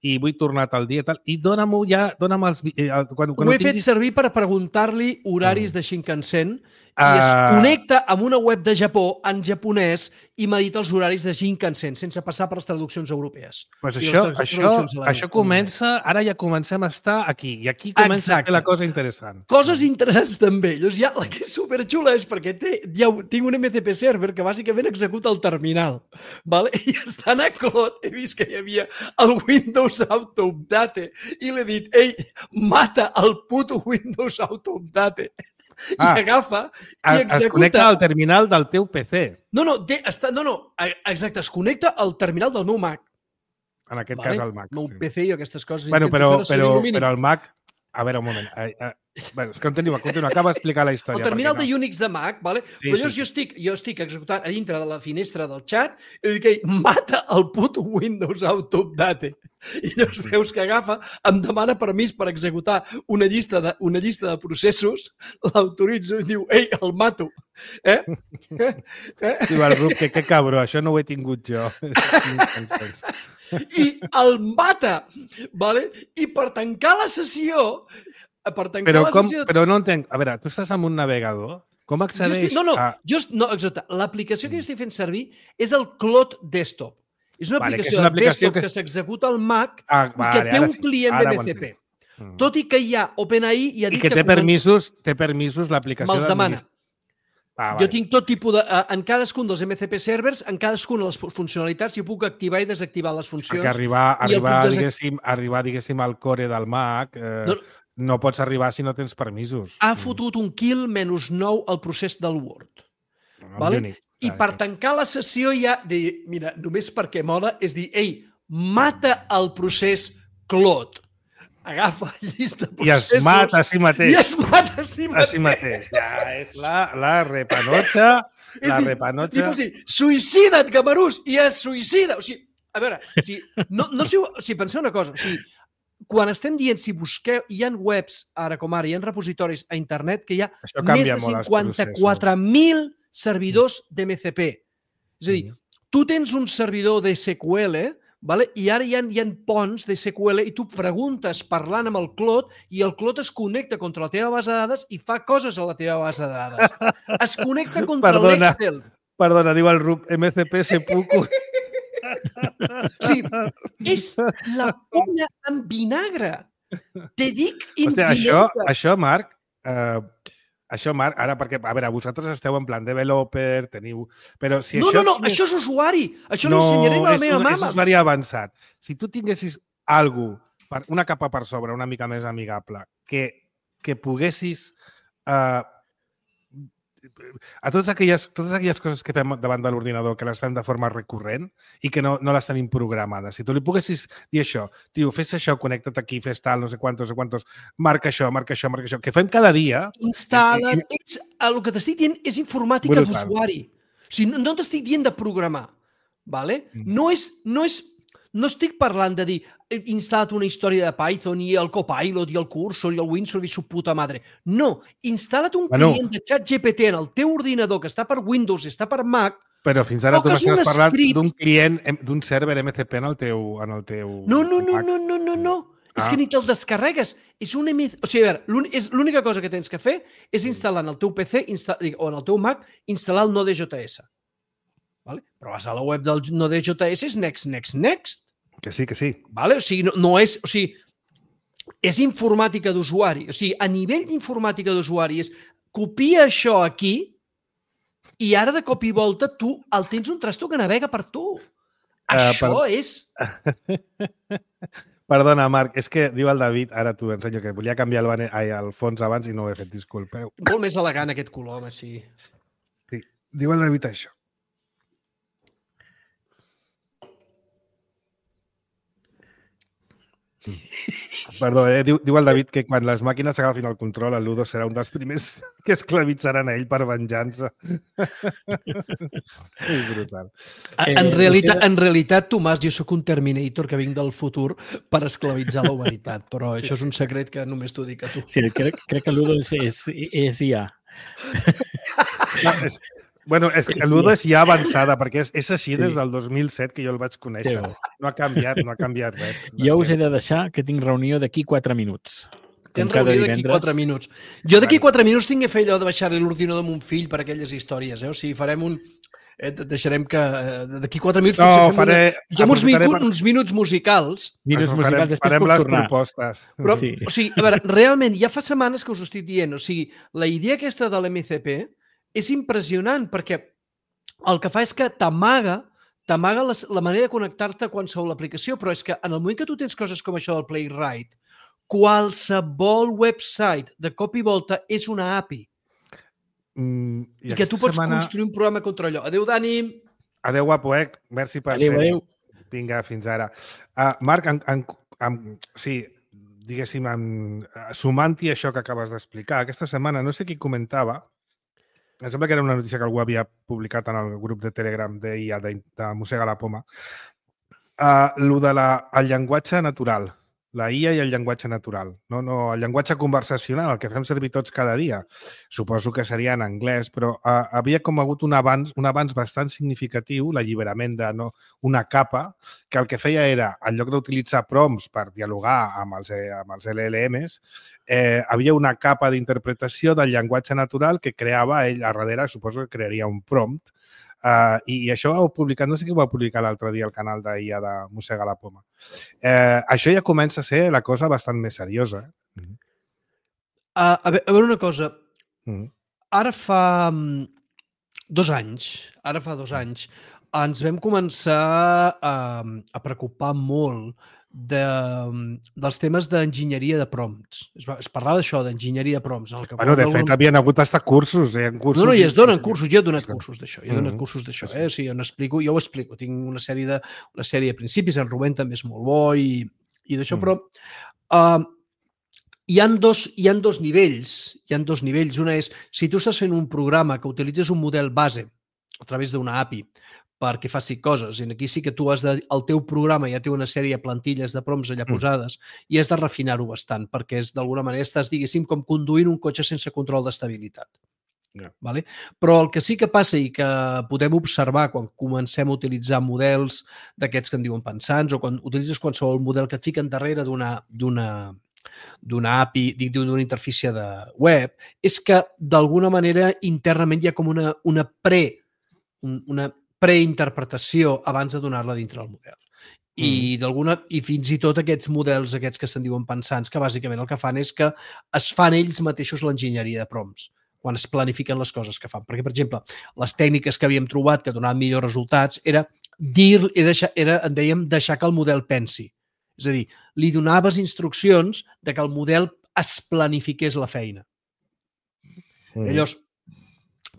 i vull tornar tal dia tal, i dóna'm ja, dóna'm els... Eh, quan, quan ho he tinguis... fet servir per preguntar-li horaris mm. de Shinkansen i uh... es connecta amb una web de Japó en japonès i m'edita els horaris de Shinkansen sense passar per les traduccions europees. Pues això, això, això comença, ara ja comencem a estar aquí, i aquí comença Exacte. a fer la cosa interessant. Coses interessants també. Llavors ja la que és superxula és perquè té, ja tinc un M C P server que bàsicament executa el terminal. Vale? I estant a Clot he vist que hi havia el Windows Auto Update i l'he dit, ei, mata el puto Windows Auto Update. I ah, agafa i executa... Es connecta al terminal del teu P C. No, no, de, està, no, no, exacte, es connecta al terminal del meu Mac. En aquest vale? cas el Mac. El meu sí. P C i aquestes coses. Bueno, però, però, però el Mac... A veure, un moment. Eh, eh, bueno, continua, continua. Acaba d'explicar la història. El terminal no. de Unix de Mac, vale? Sí, però llavors sí, jo, estic, jo estic executant a dintre de la finestra del xat i dic, ei, mata el puto Windows Auto Update. I llavors veus que agafa, em demana permís per executar una llista de, una llista de processos, l'autoritzo i diu, ei, el mato. Eh? eh? Diu el Rup, que que cabró, això no ho he tingut jo. I el mata, vale? I per tancar la sessió per tancar però, la com, sessió... però no entenc. A veure, tu estàs en un navegador. Com accedeix estic, no, no, a... jo, no, exacte. L'aplicació que jo estic fent servir és el Clot Desktop. És una vale, aplicació, una de aplicació desktop que, que s'executa al Mac ah, i vale, que té un sí. client Ara d'M C P. Mm. Tot i que hi ha OpenAI i ha dit I que, que té permisos, té permisos l'aplicació... me'ls demana. Ah, jo tinc tot tipus de... En cadascun dels M C P servers, en cadascuna de les funcionalitats, jo puc activar i desactivar les funcions. Perquè arribar, arribar, desac... diguéssim, arribar diguéssim, al core del Mac eh, no, no pots arribar si no tens permisos. Ha fotut un kill menys nou al procés del Word. No, vale? Unix. I per tancar la sessió ja... De, mira, només perquè mola és dir, ei, mata el procés Clot. Agafa la llista de processos... I es mata a si mateix. I es mata a si mateix. A si mateix. Ja és la, la repanotxa. La dir, repanotxa. I pots dir, suïcida't, Camarús, i es suïcida. O sigui, a veure, o sigui, no, no sé, o sigui, penseu una cosa, o sigui, quan estem dient, si busqueu, hi ha webs, ara com ara, hi ha repositoris a internet que hi ha més de cinquanta-quatre mil servidors d'M C P. És a dir, tu tens un servidor de S Q L, vale? I ara hi ha, hi ha ponts de S Q L i tu preguntes parlant amb el Clot i el Clot es connecta contra la teva base de dades i fa coses a la teva base de dades. Es connecta contra l'Excel. Perdona, diu el Rup, M C P sepulcro. Sí, és la polla amb vinagre. Te dic infinita. Això, això, Marc, eh, això, Marc, ara, perquè, a veure, vosaltres esteu en plan developer, teniu... Però si no, això no, no, tingués... això és usuari. Això no, l'ensenyarem a la meva mama. No, és usuari avançat. Si tu tinguessis algú, per, una capa per sobre, una mica més amigable, que, que poguessis... Eh, a totes aquelles, totes aquelles coses que fem davant de l'ordinador, que les fem de forma recurrent i que no, no les tenim programades. Si tu li poguessis dir això, tio, fes això, connecta't aquí, fes tal, no sé quantos, no sé quantos, marca això, marca això, marca això, que fem cada dia... Instal·la... I... Ets, el que t'estic dient és informàtica d'usuari. O sigui, no, no t'estic dient de programar. Vale? Mm. No és... No és No estic parlant de dir he instal·lat una història de Python i el Copilot i el Cursor i el Windsurf i su puta madre. No, instal·la't un bueno. client de ChatGPT en el teu ordinador que està per Windows i està per Mac. Però fins ara tu m'has parlat d'un client, d'un server M C P en el teu... En el teu no, no, no, no, no, no, no. Ah. És que ni te'l descarregues. És un M C... O sigui, a veure, l'única cosa que tens que fer és instal·lar en el teu P C o en el teu Mac, instal·lar el Node.js. Vale? Però vas a la web del Node.js, és next, next, next. Que sí, que sí. Vale? O sigui, no, no és... O sigui, és informàtica d'usuari. O sigui, a nivell d'informàtica d'usuari és copia això aquí i ara de cop i volta tu el tens un trasto que navega per tu. Uh, això per... és... Perdona, Marc, és que diu el David, ara t'ho ensenyo, que volia canviar el, bane... Ai, el fons abans i no ho he fet, disculpeu. Molt més elegant aquest color, home, sí. Sí, diu el David això. Perdó, eh? diu, diu el David que quan les màquines agafin el control, el Ludo serà un dels primers que esclavitzaran a ell per venjança. És brutal. En, en, realitat, en realitat, Tomàs, jo sóc un Terminator que vinc del futur per esclavitzar la humanitat, però això és un secret que només t'ho dic a tu. Sí, crec, crec que el Ludo és, és, és I A. No, és... Bueno, és que el Ludo és ja avançada, perquè és, és així sí. Des del dos mil set que jo el vaig conèixer. Sí. No ha canviat, no ha canviat res. Jo us he de deixar que tinc reunió d'aquí quatre minuts. Tens reunió d'aquí quatre minuts. Jo d'aquí quatre minuts tinc que fer allò de baixar-li l'ordinador de mon fill per aquelles històries. Eh? O sigui, farem un... Eh, deixarem que d'aquí quatre minuts... No, faré... Una... Uns, micu... per... uns minuts musicals. Minuts musicals, després farem puc les tornar. Propostes. Però, sí. O sigui, a veure, realment, ja fa setmanes que us ho estic dient. O sigui, la idea aquesta de l'M C P és impressionant perquè el que fa és que t'amaga t'amaga la, la manera de connectar-te a qualsevol aplicació, però és que en el moment que tu tens coses com això del Playwright, qualsevol website de cop i volta és una A P I. Mm, I, I que tu pots setmana... construir un programa contra allò. Adéu, Dani. Adéu, guapo, eh? Merci per adéu, ser. Adéu. Vinga, fins ara. Uh, Marc, en, en, en, sí, diguéssim, en, sumant-hi això que acabes d'explicar, aquesta setmana, no sé qui comentava, em sembla que era una notícia que algú havia publicat en el grup de Telegram d'I A, de, de Mossega la Poma. Uh, lo de la, el llenguatge natural, la I A i el llenguatge natural. No, no, el llenguatge conversacional, el que fem servir tots cada dia. Suposo que seria en anglès, però uh, havia com hagut un avanç, un avanç bastant significatiu, l'alliberament de no, una capa, que el que feia era, en lloc d'utilitzar prompts per dialogar amb els, amb els L L Ms, eh, havia una capa d'interpretació del llenguatge natural que creava ell a darrere, suposo que crearia un prompt. Uh, i, I això ho heu publicat, no sé qui ho va publicar l'altre dia al canal d'I A de Mossega la Poma. Eh, això ja comença a ser la cosa bastant més seriosa. Eh? Mm-hmm. Uh, a, veure, a veure una cosa. Mm-hmm. Ara fa um, dos anys, ara fa dos anys, ens vam començar a, a preocupar molt de, dels temes d'enginyeria de prompts. Es, va, es parlava d'això, d'enginyeria de prompts. En el que bueno, de fet, havien hagut d'estar cursos. Eh, cursos no, no, i es donen cursos. Jo he donat cursos d'això. Jo he donat mm-hmm. cursos d'això. Eh? O sigui, jo, explico, jo ho explico. Tinc una sèrie de, una sèrie de principis. En Rubén també és molt bo i, i d'això, mm. però uh, hi ha dos, hi ha dos nivells. Hi ha dos nivells. Una és, si tu estàs fent un programa que utilitzes un model base a través d'una A P I perquè faci coses. I aquí sí que tu has de... El teu programa ja té una sèrie de plantilles de prompts allà posades mm. i has de refinar-ho bastant perquè és d'alguna manera estàs, diguéssim, com conduint un cotxe sense control d'estabilitat. Yeah. Vale? Però el que sí que passa i que podem observar quan comencem a utilitzar models d'aquests que en diuen pensants o quan utilitzes qualsevol model que et fiquen darrere d'una d'una d'una A P I, dic, d'una interfície de web, és que d'alguna manera internament hi ha com una, una pre... una preinterpretació abans de donar-la dintre del model. I, mm. d'alguna, i fins i tot aquests models, aquests que se'n diuen pensants, que bàsicament el que fan és que es fan ells mateixos l'enginyeria de prompts quan es planifiquen les coses que fan. Perquè, per exemple, les tècniques que havíem trobat que donaven millors resultats era dir, era, en dèiem, deixar que el model pensi. És a dir, li donaves instruccions de que el model es planifiqués la feina. Mm. Llavors,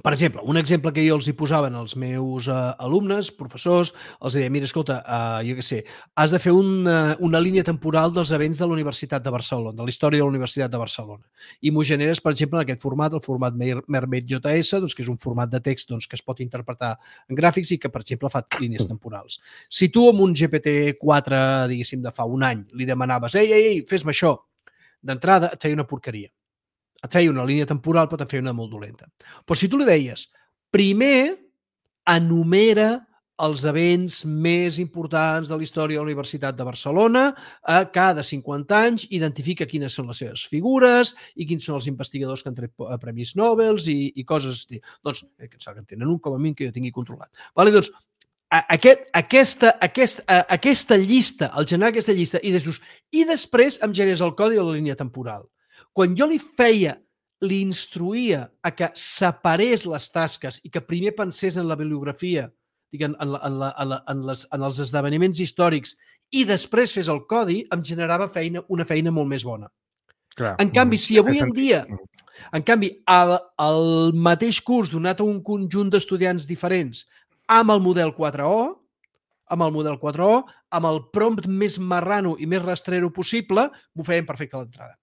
per exemple, un exemple que jo els hi posaven als meus uh, alumnes, professors, els deia, mira, escolta, uh, jo què sé, has de fer una, una línia temporal dels events de la Universitat de Barcelona, de la història de la Universitat de Barcelona. I m'ho generes, per exemple, en aquest format, el format Mermaid J S, doncs, que és un format de text doncs, que es pot interpretar en gràfics i que, per exemple, fa línies temporals. Si tu amb un G P T quatre, diguéssim, de fa un any, li demanaves, ei, ei, ei, fes-me això, d'entrada et feia una porqueria. Et feia una línia temporal, però et feia una molt dolenta. Però si tu li deies, primer enumera els events més importants de la història de la Universitat de Barcelona, a cada cinquanta anys identifica quines són les seves figures i quins són els investigadors que han tret premis Nobel i, i coses així. Doncs, eh, que en tenen un com a mínim que jo tingui controlat. Vale? Doncs, aquest, aquesta, aquest, aquesta llista, el generar aquesta llista, i, després, i després em generes el codi de la línia temporal. Quan jo li feia, li instruïa a que separés les tasques i que primer pensés en la bibliografia, en, en, en, la, en, la, en, les, en els esdeveniments històrics i després fes el codi, em generava feina, una feina molt més bona. Clar. En canvi, si avui en dia, en canvi, el, el mateix curs donat a un conjunt d'estudiants diferents amb el model quatre O, amb el model quatre O, amb el prompt més marrano i més rastrero possible, m'ho feien perfecte a l'entrada.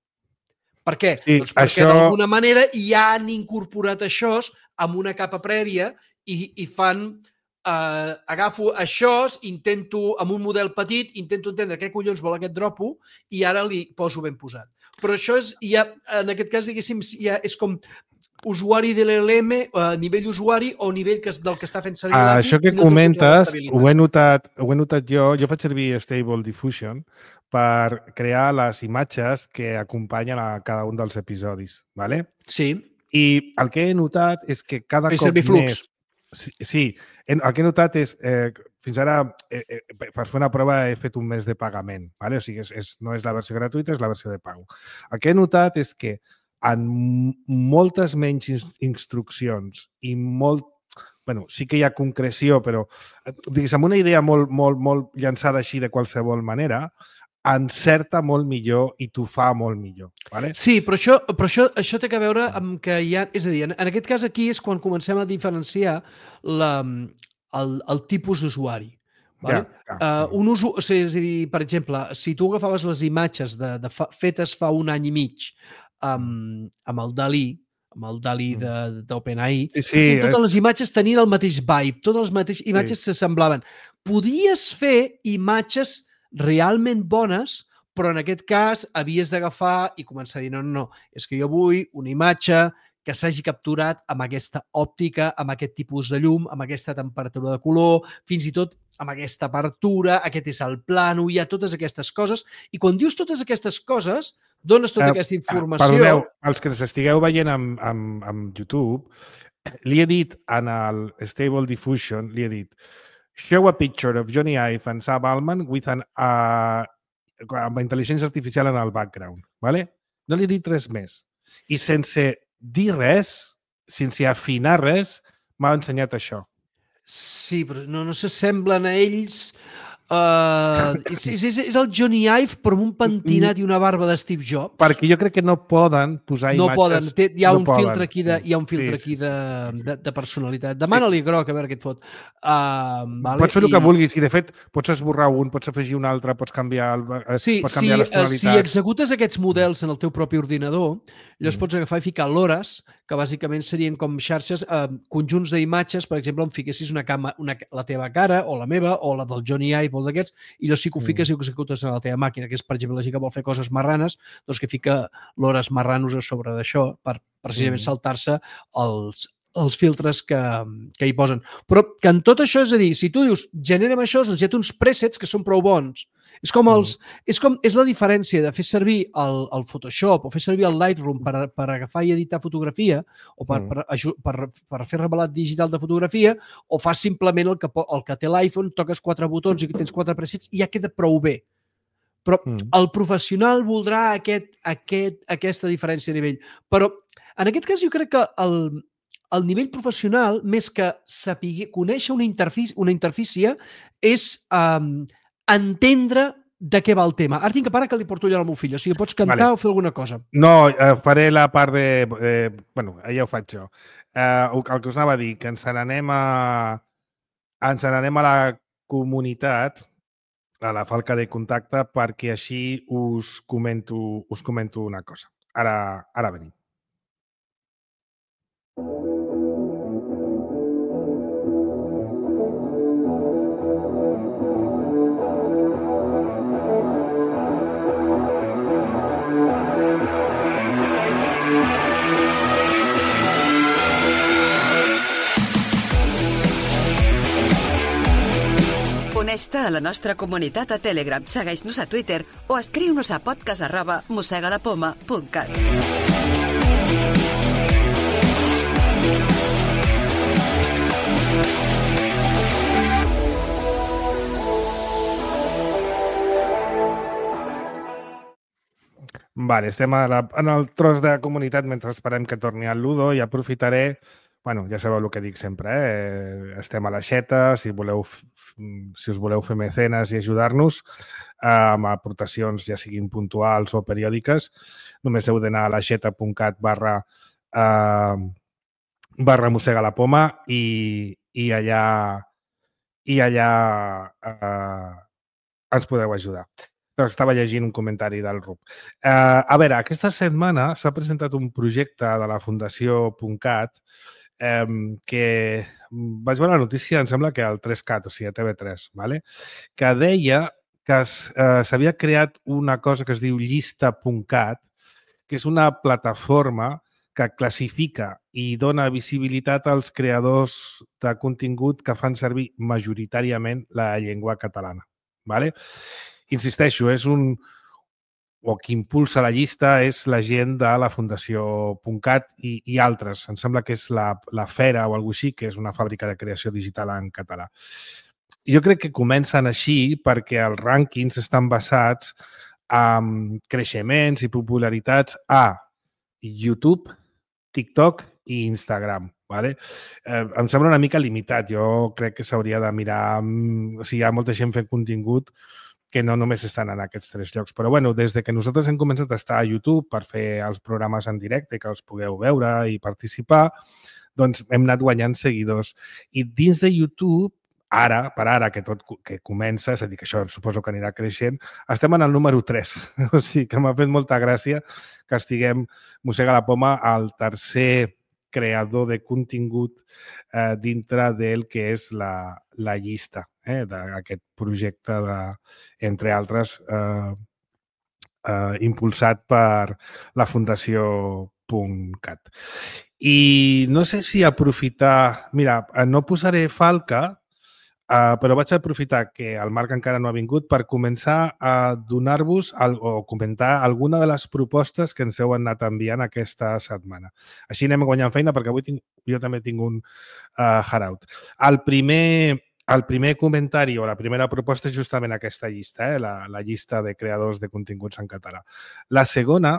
Per què? Sí, doncs perquè això... d'alguna manera ja han incorporat això amb una capa prèvia i, i fan... Eh, agafo això, intento, amb un model petit, intento entendre què collons vol aquest dropo i ara li poso ben posat. Però això és, ja, en aquest cas, diguéssim, ja és com usuari de l'L L M, a nivell usuari o nivell que, del que està fent servir l'A P I. Això que comentes, ho he, notat, ho he notat jo, jo faig servir Stable Diffusion per crear les imatges que acompanyen a cada un dels episodis, ¿vale? Sí. I el que he notat és que cada Fes cop servir flux. més... Sí, sí, el que he notat és, eh, fins ara, eh, eh, per fer una prova he fet un mes de pagament, ¿vale? O sigui, és, és, no és la versió gratuïta, és la versió de pago. El que he notat és que en moltes menys instruccions i molt... Bueno, sí que hi ha concreció, però digues, amb una idea molt, molt, molt llançada així de qualsevol manera, encerta molt millor i t'ho fa molt millor. Vale? Sí, però això, però això, això té a veure amb que hi ha... És a dir, en, en aquest cas aquí és quan comencem a diferenciar la, el, el tipus d'usuari. Vale? Ja, ja. Uh, un usu... o sigui, és a dir, per exemple, si tu agafaves les imatges de, de fa, fetes fa un any i mig amb, amb el Dalí, amb el Dalí d'OpenAI, sí, sí, totes és... les imatges tenien el mateix vibe, totes les mateixes imatges sí. s'assemblaven. Podies fer imatges realment bones, però en aquest cas havies d'agafar i començar a dir, no, no, no, és que jo vull una imatge que s'hagi capturat amb aquesta òptica, amb aquest tipus de llum, amb aquesta temperatura de color, fins i tot amb aquesta apertura, aquest és el plano, hi ha totes aquestes coses, i quan dius totes aquestes coses, dones tota uh, aquesta informació... Perdoneu, els que s'estigueu veient amb, amb, amb YouTube, li he dit en el Stable Diffusion, li he dit show a picture of Johnny Ive and Sam Altman with an, uh, amb intel·ligència artificial en el background, ¿vale? No li he dit res més. I sense dir res, sense afinar res, m'ha ensenyat això. Sí, però no, no s'assemblen a ells. Uh, és, és, és el Johnny Ive, però amb un pentinat i una barba de Steve Jobs. Perquè jo crec que no poden posar no imatges... Poden. Té, hi ha no un poden. filtre aquí de, hi ha un filtre sí, aquí sí, de, sí, sí, sí. de, de personalitat. Demana-li sí. Groc, a veure què et fot. Uh, vale? Pots fer el I... que vulguis i, de fet, pots esborrar un, pots afegir un altre, pots canviar, el, sí, pots canviar si, les tonalitats. Si executes aquests models en el teu propi ordinador, llavors mm. pots agafar i ficar l'hores, que bàsicament serien com xarxes, eh, conjunts d'imatges, per exemple, on fiquessis una cama, una, la teva cara, o la meva, o la del Johnny Ive, o d'aquests, i llavors sí que ho fiques mm. i ho executes a la teva màquina, que és, per exemple, la gent que vol fer coses marranes, doncs que fica l'hores marranos a sobre d'això, per precisament mm. saltar-se els, els filtres que, que hi posen. Però que en tot això, és a dir, si tu dius, generem això, doncs hi ha uns presets que són prou bons. És com els... Mm. És, com, és la diferència de fer servir el, el Photoshop o fer servir el Lightroom per, per agafar i editar fotografia o per, mm. per, per, per fer revelat digital de fotografia, o fas simplement el que, el que té l'iPhone, toques quatre botons i tens quatre presets i ja queda prou bé. Però mm. el professional voldrà aquest, aquest, aquesta diferència de nivell. Però en aquest cas jo crec que el, el nivell professional, més que saber conèixer una interfície, una interfície és um, entendre de què va el tema. Ara tinc que parar que li porto allò al meu fill. O sigui, pots cantar vale. O fer alguna cosa. No, eh, faré la part de... Eh, bueno, ja ho faig jo. Eh, el que us anava a dir, que ens n'anem a... ens n'anem a la comunitat, a la falca de contacte, perquè així us comento, us comento una cosa. Ara, ara venim. Uneix-te a la nostra comunitat a Telegram, segueix-nos a Twitter o escriu-nos a podcast arroba mosegalapoma punt cat. Vale, estem a la, en el tros de comunitat mentre esperem que torni el Ludo i aprofitaré. Bueno, ja sabeu el que dic sempre, eh? Estem a l'aixeta, si voleu, si us voleu fer mecenes i ajudar-nos eh, amb aportacions, ja siguin puntuals o periòdiques, només heu d'anar a l'aixeta punt cat barra eh, barra mossega la poma i, i allà i allà eh, ens podeu ajudar. Però estava llegint un comentari del Rub. Eh, a veure, aquesta setmana s'ha presentat un projecte de la Fundació .cat eh, que vaig veure la notícia, em sembla que al tres cat, o sigui, a T V tres, ¿vale? Que deia que s'havia eh, creat una cosa que es diu llista punt cat, que és una plataforma que classifica i dona visibilitat als creadors de contingut que fan servir majoritàriament la llengua catalana, ¿vale? Insisteixo, és un... o qui impulsa la llista és la gent de la Fundació .cat i, i altres. Em sembla que és la, la Fera o alguna cosa així, que és una fàbrica de creació digital en català. Jo crec que comencen així perquè els rànquings estan basats en creixements i popularitats a YouTube, TikTok i Instagram. Vale? Eh, em sembla una mica limitat. Jo crec que s'hauria de mirar... O sigui, hi ha molta gent fent contingut que no només estan en aquests tres llocs. Però, bueno, des de que nosaltres hem començat a estar a YouTube per fer els programes en directe, que els pugueu veure i participar, doncs hem anat guanyant seguidors. I dins de YouTube, ara, per ara, que tot que comença, és a dir, que això suposo que anirà creixent, estem en el número tres. O sigui, que m'ha fet molta gràcia que estiguem, mossega la poma, al tercer creador de contingut eh, dintre del que és la, la llista eh, d'aquest projecte, de, entre altres, eh, eh, impulsat per la Fundació .cat. I no sé si aprofitar... Mira, no posaré falca, Uh, però vaig aprofitar que el Marc encara no ha vingut per començar a donar-vos o comentar alguna de les propostes que ens heu anat enviant aquesta setmana. Així anem guanyant feina perquè avui tinc, jo també tinc un uh, hangout. El primer, el primer comentari o la primera proposta és justament aquesta llista, eh? la, la llista de creadors de continguts en català. La segona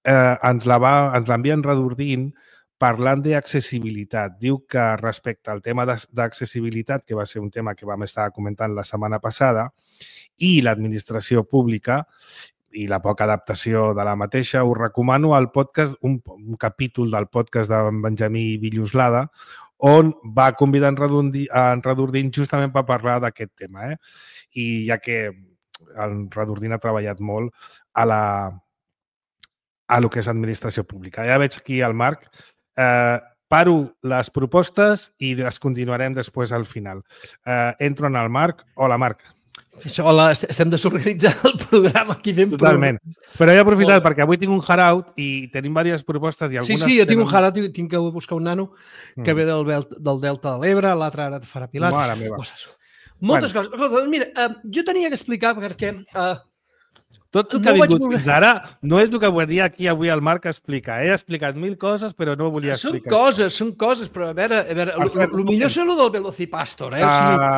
eh, ens l'envia en Redordint parlant d'accessibilitat. Diu que respecte al tema d'accessibilitat, que va ser un tema que vam estar comentant la setmana passada, i l'administració pública i la poca adaptació de la mateixa, us recomano el podcast, un, un capítol del podcast de Benjamí Villoslada, on va convidar en Redordint, en Redordint justament per parlar d'aquest tema. Eh? I ja que en Redordint ha treballat molt a la a lo que és administració pública. Ja veig aquí el Marc. Eh, paro les propostes i les continuarem després al final. Eh, entro en el Marc. Hola, Marc. Hola, estem desorganitzant el programa aquí fent... Totalment. Però he aprofitat Hola. perquè avui tinc un hangout i tenim diverses propostes i algunes... Sí, sí, jo tinc un hangout, tinc que buscar un nano que mm. ve del, del Delta de l'Ebre, l'altre ara farà Pilat. Mare meva. Coses. Moltes bueno. coses. Mira, uh, jo tenia que explicar perquè... Uh, Tot el que no ha vingut voler... fins ara no és el que volia aquí avui el Marc explicar. He explicat mil coses, però no volia són explicar. Són coses, això. són coses, però a veure, a veure el millor és el del Velocipastor. Eh? Uh, o sigui...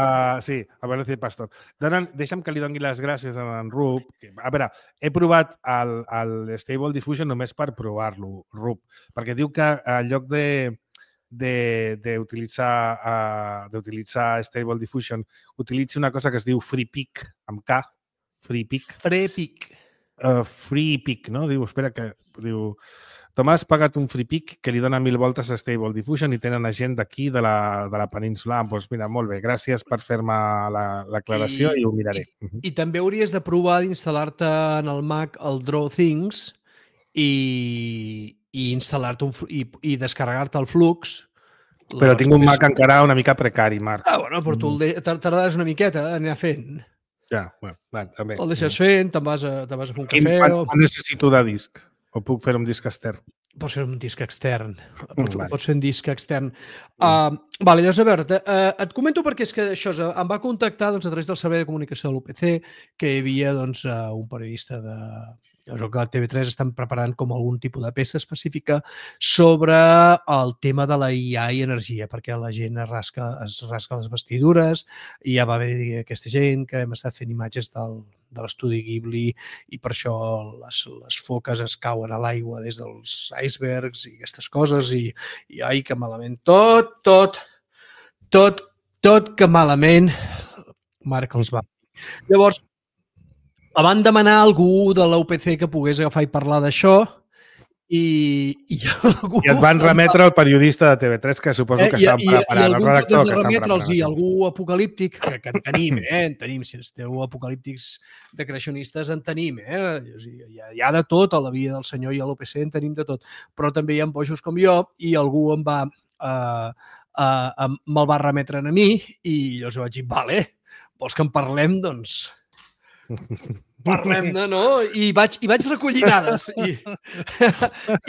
Sí, el Velocipastor. Donen, deixa'm que li doni les gràcies a en Rup. Que, a veure, he provat el, el Stable Diffusion només per provar-lo, Rup, perquè diu que en lloc de d'utilitzar uh, d'utilitzar Stable Diffusion utilitzi una cosa que es diu FreePic, amb K, FreePic. FreePic. Uh, FreePic, no? Diu, espera, que diu... Tomàs ha pagat un FreePic que li dona mil voltes a Stable Diffusion i tenen gent d'aquí, de, la, de la península. Doncs pues mira, molt bé, gràcies per fer-me l'aclaració i, i ho miraré. I, uh -huh. I també hauries de provar d'instal·lar-te en el Mac el DrawThings i, i instal·lar-te un, i, i descarregar-te el Flux. Però tinc un Mac encara una mica precari, Marc. Ah, bueno, però tu mm. tardaràs una miqueta a anar fent. Ja, bueno, bueno, també. El deixes fent, te'n vas, a, te vas a fer un Quin, cafè... Quan, o... quan necessito de disc? O puc fer un disc extern? Pots fer un disc extern. Mm, pots, vale. pots fer un disc extern. Mm. Uh, vale, llavors, a veure, uh, et comento perquè és que això em va contactar doncs, a través del servei de comunicació de l'U P C que hi havia doncs, uh, un periodista de... Jo que a T V tres estan preparant com algun tipus de peça específica sobre el tema de la I A i energia, perquè la gent es rasca, es rasca les vestidures i ja va haver aquesta gent que hem estat fent imatges del, de l'estudi Ghibli i per això les, les foques es cauen a l'aigua des dels icebergs i aquestes coses i, i ai, que malament. Tot, tot, tot, tot que malament. Marc els va. Llavors, van demanar a algú de l'U P C que pogués agafar i parlar d'això i, i, algú, I et van remetre al periodista de T V tres que suposo que eh, estan preparant, el redactor que estan preparant. I algú apocalíptic, que, que en tenim, eh? En tenim, si esteu apocalíptics decreacionistes, en tenim, eh? Hi ha, hi ha de tot a la vida del senyor i a l'U P C en tenim de tot, però també hi ha bojos com jo i algú em va eh, eh, me'l va remetre a mi i llavors vaig dir, vale, vols que en parlem? Doncs parlem-ne, no? I vaig, i vaig recollir dades. I,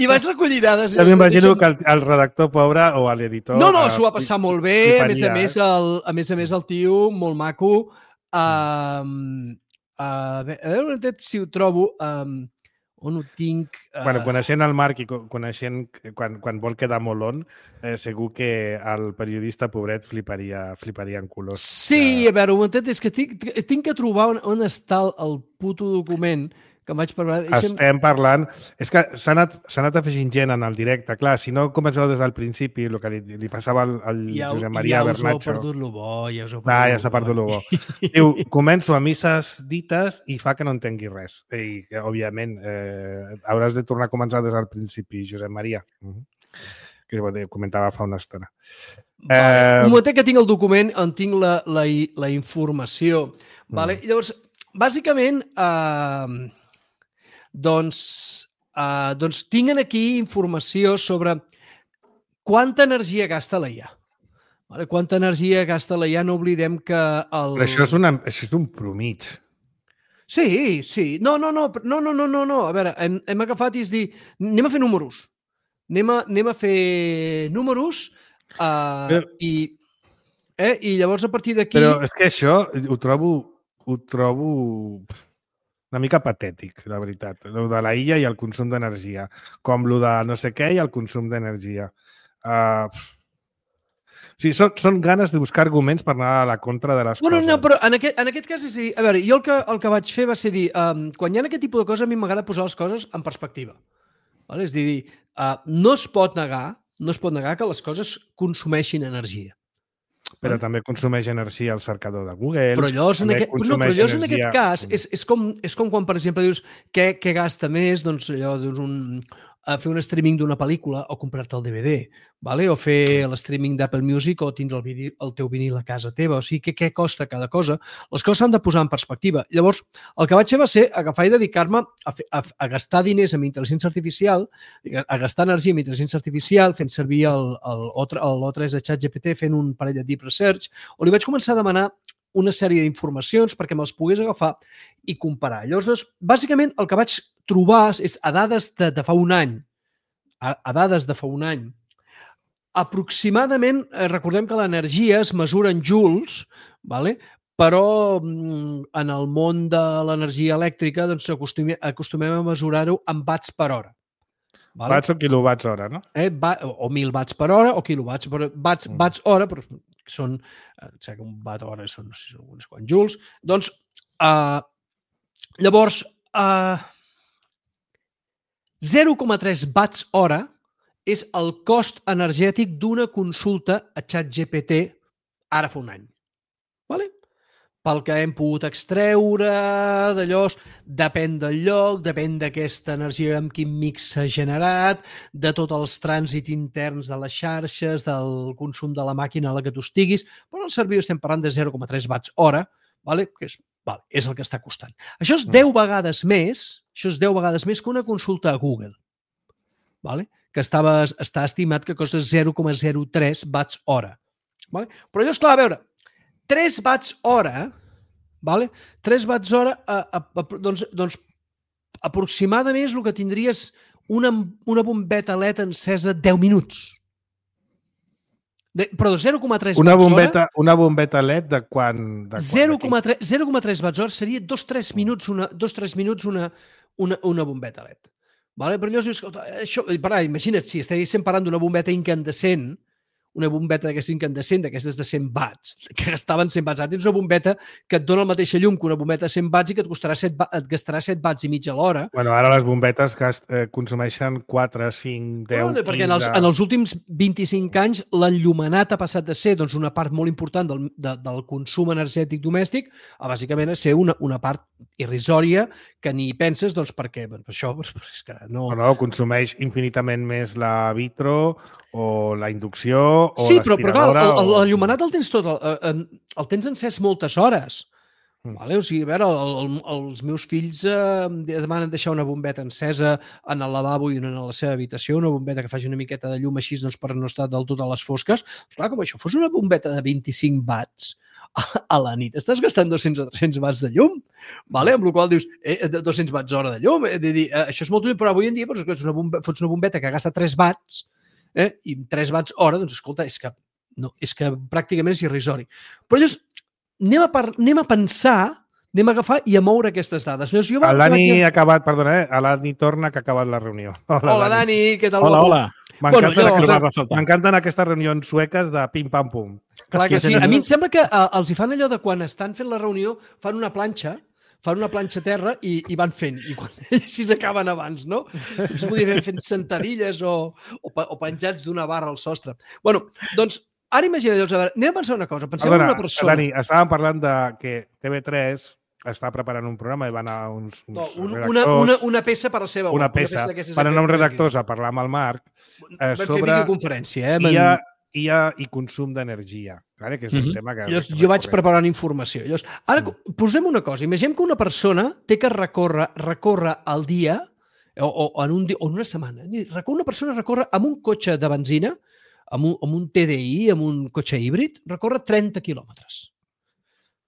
i vaig recollir dades. Ja m'imagino que el, el redactor pobre o l'editor... No, no, s'ho va passar molt bé. A més a més, el, a més a més, el tio, molt maco. Um, uh, a veure si ho trobo... Um, on ho tinc... Uh... Bueno, coneixent el Marc i coneixent quan, quan vol quedar molt on, eh, segur que el periodista pobret fliparia, fliparia en colors. Sí, que... a veure, un momentet, és que tinc, tinc que trobar on, on està el, el puto document que em vaig parlar. Deixem... Estem parlant... És que s'ha anat, anat afegint gent en el directe. Clar, si no comenceu des del principi, el que li, li passava al, al ja, Josep Maria ja Bernatxo... Ja us heu perdut lo bo, ja us heu perdut ah, ja s'ha perdut lo bo. Diu, començo a misses dites i fa que no entengui res. I, òbviament, eh, hauràs de tornar a començar des del principi, Josep Maria. Uh -huh. Que comentava fa una estona. Vale. Eh... Un moment que tinc el document on tinc la, la, la informació. Vale? Mm. Llavors, bàsicament... Eh... Doncs, uh, doncs tinguin aquí informació sobre quanta energia gasta la I A. Vale? Quanta energia gasta la I A, no oblidem que... El... Però això és, una, això és un promig. Sí, sí. No, no, no, no, no, no, no, no. A veure, hem, hem agafat i és dir, anem a fer números. Anem a, anem a fer números uh, Però, i, eh, i llavors a partir d'aquí... però és que això ho trobo, ho trobo una mica patètic, la veritat. Lo de la illa i el consum d'energia. Com lo de no sé què i el consum d'energia. Uh, sí, són, són ganes de buscar arguments per anar a la contra de les Bueno, coses. no, però en aquest, en aquest cas és dir... A veure, jo el que, el que vaig fer va ser dir... Um, quan hi ha aquest tipus de coses, a mi m'agrada posar les coses en perspectiva. Vale? És dir, uh, no es pot negar no es pot negar que les coses consumeixin energia. Però vale? també consumeix energia el cercador de Google. Però llavors, en aquest, no, però llavors en aquest cas és, és, com, és com quan, per exemple, dius què, què gasta més, doncs allò, dius un, a fer un streaming d'una pel·lícula o comprar-te el D V D, vale? O fer l'streaming d'Apple Music o tindre el, vidi, el teu vinil a casa teva. O sigui, què, què costa cada cosa? Les coses s'han de posar en perspectiva. Llavors, el que vaig fer va ser agafar i dedicar-me a, fer, a, a gastar diners amb intel·ligència artificial, a gastar energia amb intel·ligència artificial, fent servir el, el, l'O tres de ChatGPT, fent un parell de deep research, on li vaig començar a demanar una sèrie d'informacions perquè me'ls pogués agafar i comparar. Llavors, doncs, bàsicament, el que vaig trobar és a dades de, de fa un any, a, a dades de fa un any, aproximadament, eh, recordem que l'energia es mesura en joules, vale? Però en el món de l'energia elèctrica doncs, acostumem, acostumem a mesurar-ho en watts per hora. Vale? Watts o quilowatts hora, no? Eh, va, o mil watts per hora o quilowatts, però watts, mm. watts hora, però són, eh, sé que un watt hora són, no sé, són uns quants joules. Doncs, eh, llavors, eh, zero coma tres watts hora és el cost energètic d'una consulta a ChatGPT ara fa un any. Vale? Pel que hem pogut extreure d'allò, depèn del lloc, depèn d'aquesta energia amb quin mix s'ha generat, de tots els trànsits interns de les xarxes, del consum de la màquina a la que tu estiguis, però el servidor estem parlant de zero coma tres watts hora, vale? Que és, vale, és el que està costant. Això és deu vegades més, això és deu vegades més que una consulta a Google, vale? Que estava, està estimat que costa zero coma zero tres watts hora. Vale? Però allò, esclar, a veure, tres watts hora, vale? tres watts hora, a, a, a, doncs, doncs aproximadament és el que tindries una, una bombeta L E D encesa deu minuts. De, però de zero coma tres una watts bombeta, hora... Una bombeta L E D de quan... De zero coma tres watts hora seria dos tres minuts una, dos, tres minuts una, una, una bombeta L E D. Vale? Però llavors, escolta, això, parà, imagina't, si estiguéssim parlant d'una bombeta incandescent, una bombeta d'aquesta incandescent, d'aquestes de cent watts, que gastaven cent watts. Ara tens una bombeta que et dona la mateixa llum que una bombeta de cent watts i que et, costarà set, et gastarà set watts i mig a l'hora. Bueno, ara les bombetes gast, eh, consumeixen quatre, cinc, deu, bueno, perquè en els, en els últims vint-i-cinc anys l'enllumenat ha passat de ser doncs, una part molt important del, de, del consum energètic domèstic a bàsicament a ser una, una part irrisòria que ni penses doncs, perquè doncs, això doncs, és que no... No, no, consumeix infinitament més la vitro o la inducció o sí, però, però clar, el, el, o... el llumenat el tens tot, el, el tens encès moltes hores. Mm. Vale? O sigui, a veure, el, el, els meus fills eh, demanen deixar una bombeta encesa en el lavabo i en la seva habitació, una bombeta que faci una miqueta de llum així doncs, per no estar del tot a les fosques. Però, clar, com això fos una bombeta de vint-i-cinc watts a, a la nit, estàs gastant dos-cents o tres-cents watts de llum, vale? Amb la qual dius, eh, dos-cents watts hora de llum, eh, de dir, eh, això és molt útil, però avui en dia doncs, una bomba, fots una bombeta que gasta tres watts, eh, i tres watts hora, doncs escolta, és que, no, és que pràcticament és irrisori. Però llavors, anem a, par, anem a pensar, anem a agafar i a moure aquestes dades. Llavors, jo el Dani vaig... ha acabat, perdona, eh? L'Adni torna que ha acabat la reunió. Hola, hola Dani. Dani, què tal? Hola, hola. M'encanten bueno, jo... aquestes reunions sueques de pim-pam-pum. Clar que sí. A mi em sembla que uh, els hi fan allò de quan estan fent la reunió, fan una planxa, fan una planxa a terra i, i van fent. I quan així s'acaben abans, no? Es podria fer fent sentadilles o, o, o penjats d'una barra al sostre. Bueno, doncs, ara imagina't, a veure, anem a pensar una cosa. Pensem en una persona... Dani, estàvem parlant de que T V tres està preparant un programa i van anar uns, uns no, un, redactors... Una, una, una peça per la seva Una peça. Una peça van anar uns redactors a parlar amb el Marc eh, sobre videoconferència, eh? I A, I A i consum d'energia. Vale? Que és un mm -hmm. tema que... Llavors, jo vaig preparant informació. Llavors, ara, mm. posem una cosa. Imaginem que una persona té que recórrer, recórrer al dia o, o, en un dia, o en una setmana. Una persona recorre amb un cotxe de benzina, amb un, amb un T D I, amb un cotxe híbrid, recorre trenta quilòmetres.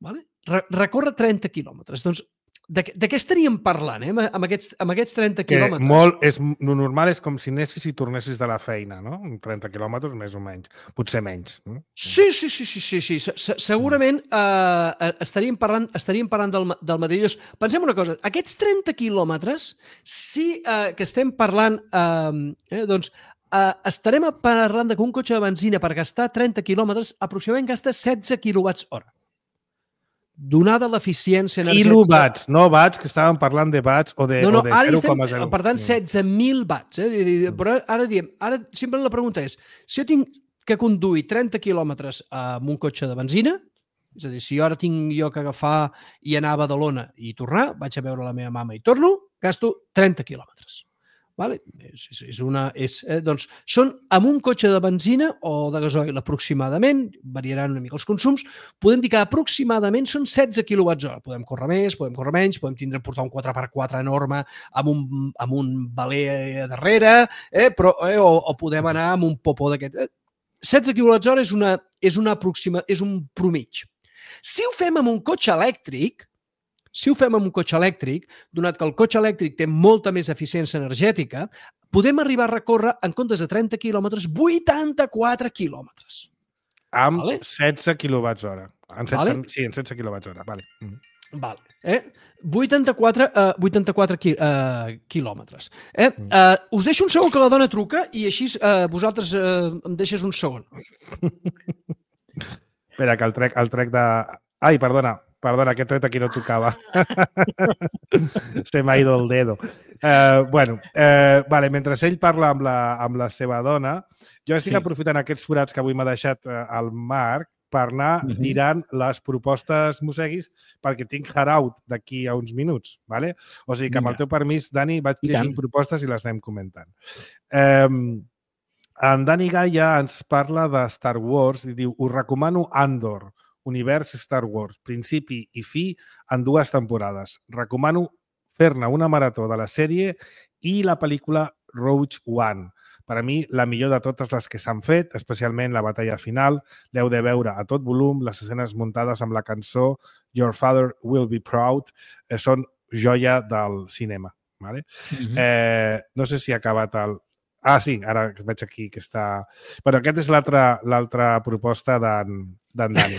Vale? Recorre trenta quilòmetres. Doncs de, de què estaríem parlant, eh? amb, aquests, amb aquests trenta que quilòmetres? Molt, és, lo normal és com si anessis i tornessis de la feina, no? trenta quilòmetres més o menys, potser menys. No? Sí, sí, sí, sí, sí, sí. Segurament eh, estaríem parlant, estaríem parlant del, del mateix. Pensem una cosa, aquests trenta quilòmetres, sí eh, que estem parlant, eh, eh, doncs, eh, estarem parlant que un cotxe de benzina per gastar trenta quilòmetres aproximadament gasta setze quilowatts hora. Donada l'eficiència energètica... Kilowatts, no watts, que estàvem parlant de watts o de, no, no, o de ara zero coma zero. Estem, per tant, setze mil watts. Eh? Però ara diem, ara simplement la pregunta és, si jo tinc que conduir trenta quilòmetres amb un cotxe de benzina, és a dir, si jo ara tinc jo que agafar i anar a Badalona i tornar, vaig a veure la meva mama i torno, gasto trenta quilòmetres. Vale? És, és, és una, és, eh, doncs, són amb un cotxe de benzina o de gasoil aproximadament, variaran una mica els consums, podem dir que aproximadament són setze quilowatts hora. Podem córrer més, podem córrer menys, podem tindre portar un quatre per quatre enorme amb un, amb un baler darrere, eh, però, eh, o, o podem anar amb un popó d'aquest. Eh, setze quilowatts hora és, una, és, una aproxima, és un promig. Si ho fem amb un cotxe elèctric, Si ho fem amb un cotxe elèctric, donat que el cotxe elèctric té molta més eficiència energètica, podem arribar a recórrer, en comptes de trenta quilòmetres, vuitanta-quatre quilòmetres. Amb vale? setze quilowatts hora. En setze, vale? Sí, en setze quilowatts hora. Vale. Mm. Vale. Eh? vuitanta-quatre, uh, vuitanta-quatre qui, uh, quilòmetres. Eh? Uh, us deixo un segon que la dona truca i així uh, vosaltres uh, em deixes un segon. Espera, que el trec, el trec de... Ai, perdona. Perdona, aquest tret aquí no tocava. Se m'ha ido el dedo. Uh, bueno, uh, vale, mentre ell parla amb la, amb la seva dona, jo estic sí. aprofitant aquests forats que avui m'ha deixat uh, el Marc per anar uh -huh. tirant les propostes Moseguis perquè tinc hard-out d'aquí a uns minuts. Vale? O sigui que amb el teu permís, Dani, vaig llegint propostes i les anem comentant. Um, en Dani Gaia ens parla de Star Wars i diu, us recomano Andor, univers Star Wars, principi i fi en dues temporades. Recomano fer-ne una marató de la sèrie i la pel·lícula Rogue One. Per a mi, la millor de totes les que s'han fet, especialment la batalla final, l'heu de veure a tot volum, les escenes muntades amb la cançó Your Father Will Be Proud, eh, són joia del cinema. Vale? Mm-hmm. eh, no sé si ha acabat el... Ah, sí, ara veig aquí que està... Però aquesta és l'altra proposta d'en d'en Dani.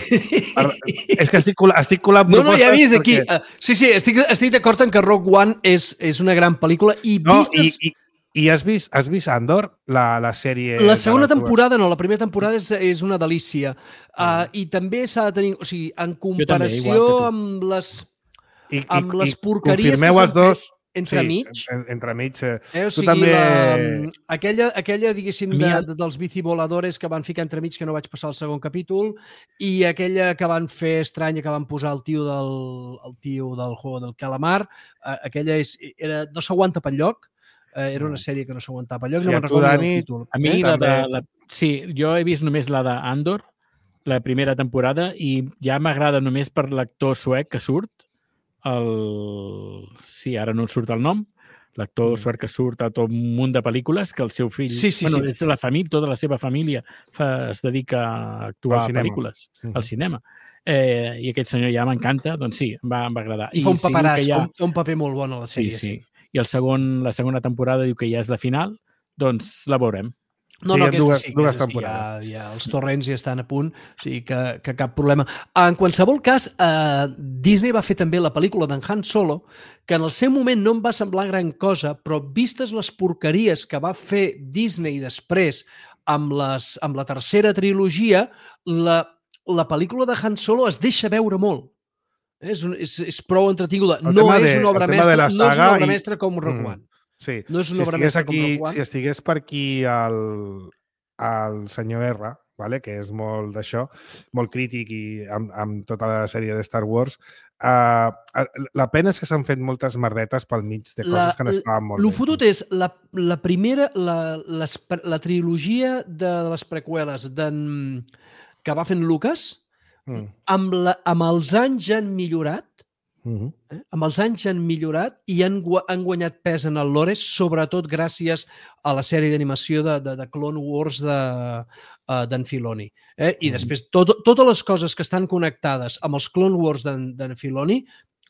És que estic, estic colant no, no, ja he vist perquè... aquí. Uh, sí, sí, estic, estic d'acord en que Rogue One és, és una gran pel·lícula i no, vistes... I, i, i has vist, has vist Andor, la, la sèrie... La segona la temporada no, la primera temporada és, és una delícia. Uh, I també s'ha de tenir... O sigui, en comparació també, amb les, I, amb i, les porqueries que s'han fet... Entremig. Sí, entremig. Eh, eh, o sigui, tu també... la, aquella, aquella, diguéssim, de, de, dels bicivoladores que van ficar entremig, que no vaig passar al segon capítol, i aquella que van fer estranya, que van posar el tio del, el tio del Juego del Calamar, eh, aquella és, era, no s'aguanta pel lloc, eh, era una sèrie que no s'aguantava pel lloc, no me'n recordo Dani, el títol. A mi, eh? la de, la, sí, jo he vist només la d'Andor, la primera temporada, i ja m'agrada només per l'actor suec que surt, el... sí, ara no surt el nom, l'actor mm. suec que surt a tot un munt de pel·lícules, que el seu fill, sí, sí, bueno, sí. és la família, tota la seva família fa, es dedica a actuar a pel·lícules, mm. al cinema. Eh, I aquest senyor ja m'encanta, doncs sí, em va, em va agradar. I fa un paperàs, ja... fa un paper molt bon a la sèrie. Sí, sí. I el segon, la segona temporada diu que ja és la final, doncs la veurem. No, no, aquesta sí, dues temporades. Ja, ja, els torrents ja estan a punt, o sigui que, que cap problema. En qualsevol cas, eh, Disney va fer també la pel·lícula d'en Han Solo, que en el seu moment no em va semblar gran cosa, però vistes les porqueries que va fer Disney després amb, les, amb la tercera trilogia, la, la pel·lícula de Han Solo es deixa veure molt. És, és, és prou entretinguda. No és una obra mestra, no és una obra i... mestra com Rogue One. Sí, no és una si, estigués aquí, si estigués per aquí el, el senyor R, vale? Que és molt d'això, molt crític i amb, amb tota la sèrie de Star Wars, uh, la pena és que s'han fet moltes merdetes pel mig de coses la, que n'estaven molt bé. El fotut és la, la primera, la, les, la trilogia de les preqüeles que va fent Lucas, mm. amb, la, amb els anys han millorat, Uh-huh. Eh? Amb els anys han millorat i han, gu han guanyat pes en el lore, sobretot gràcies a la sèrie d'animació de, de, de Clone Wars d'en uh, Filoni. Eh? I uh-huh. després, tot, totes les coses que estan connectades amb els Clone Wars d'en Filoni,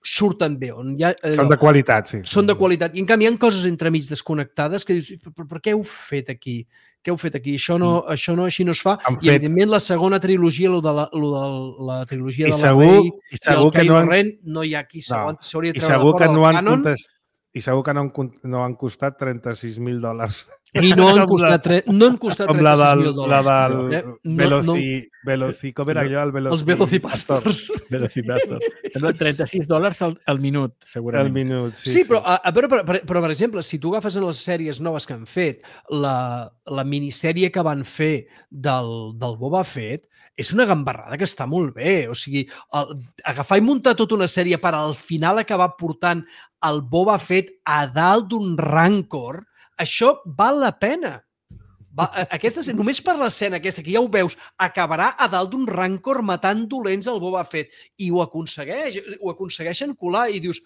surten bé. On hi ha, allò, són de qualitat, sí. Són de qualitat. I en canvi hi ha coses entremig desconnectades que dius, per, per què heu fet aquí? Què heu fet aquí? Això no, mm. això no així no es fa. Han I fet... evidentment la segona trilogia, lo de la, lo de la trilogia I de segur, la Rey i, segur i el Kylo han... Ren, no hi ha qui s'hauria de treure la porra no del cànon. Contest... I segur que no han, no han costat trenta-sis mil dòlars. I no han costat, tre... no han costat trenta-sis mil dòlars. La del eh? Veloci... no, Veloci... Com era allò? El Veloci... Els Velocipastors. Velocipastors. Sembla trenta-sis dòlars al, al minut, segurament. El minut, sí. Sí, però, a, a veure, però, però, però, per exemple, si tu agafes en les sèries noves que han fet, la, la minissèrie que van fer del, del Boba Fett és una gambarrada que està molt bé. O sigui, el, agafar i muntar tota una sèrie per al final acabar portant el Boba Fett a dalt d'un Rancor, això val la pena. Va, aquesta, només per l'escena aquesta, que ja ho veus, acabarà a dalt d'un Rancor matant dolents al Boba Fett. I ho aconsegueix, ho aconsegueixen colar i dius,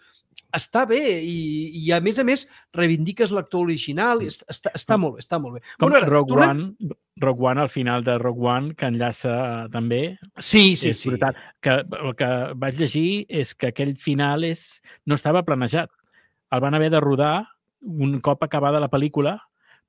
està bé, i, i a més a més reivindiques l'actor original, i està, està, està molt bé, està molt bé. Com bueno, ara, Rogue, tornem... One, Rogue One, al final de Rogue One, que enllaça també. Sí, sí, és sí. Brutal. Que, el que vaig llegir és que aquell final és, no estava planejat. El van haver de rodar un cop acabada la pel·lícula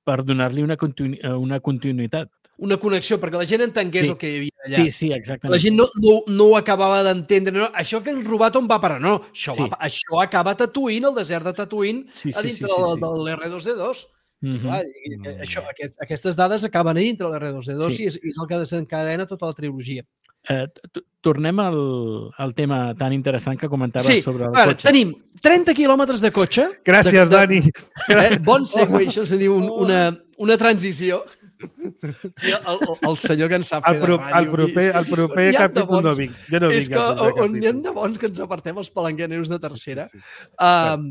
per donar-li una, continu una continuïtat. Una connexió, perquè la gent entengués sí. el que hi havia allà. Sí, sí, exactament. La gent no, no, no ho acabava d'entendre. No, això que han robat on va parar? No, això, sí. va, això acaba a Tatooine, el desert de Tatooine, sí, sí, a dintre sí, sí, sí. del l'R dos D dos. Mm-hmm. Clar, i, i, això, aquest, aquestes dades acaben a dintre de l'R dos D dos sí. i és, és el que desencadena tota la trilogia. Eh, tornem al, al tema tan interessant que comentaves sí, sobre el ara, cotxe. Tenim trenta quilòmetres de cotxe. Gràcies, de, de, Dani. Eh, bon segue, això se diu un, una, una transició. El, el, el senyor que ens sap fer el pro, de ràdio. El proper, el proper capítol no vinc. Jo no és vinc que on hi ha de bons que ens apartem els palanqueneros de tercera. Sí, sí, sí. Um,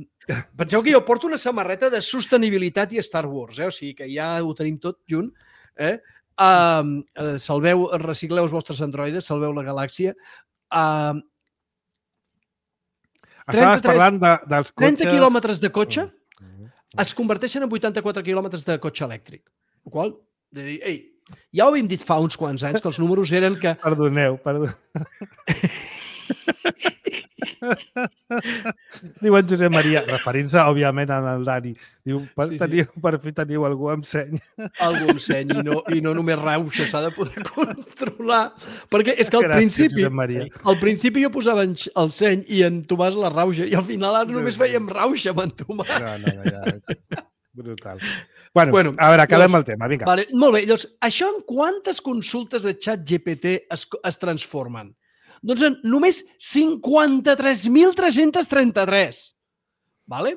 penseu que jo porto una samarreta de sostenibilitat i Star Wars, eh? O sigui que ja ho tenim tot junt. Eh? Uh, uh, salveu, recicleu els vostres androides, salveu la galàxia. Uh, Estaves parlant de, dels cotxes... trenta quilòmetres de cotxe es converteixen en vuitanta-quatre quilòmetres de cotxe elèctric. El qual, de dir, ei, ja ho havíem dit fa uns quants anys, que els números eren que... Perdoneu, perdoneu. Diu en Josep Maria, referint-se, òbviament, al Dani. Diu, per, sí, sí. Teniu, per fi teniu algú amb seny. Algú amb seny i no, i no només rauxa, s'ha de poder controlar. Perquè és que al Gràcies, principi, al principi jo posava el seny i en Tomàs la rauxa i al final ara només fèiem rauxa amb en Tomàs. No, no, no, ja... Brutal. Bueno, bueno, a veure, acabem llavors, el tema, vinga. Vale, molt bé, llavors, això en quantes consultes de xat G P T es, es transformen? Doncs en només cinquanta-tres mil tres-cents trenta-tres. Vale?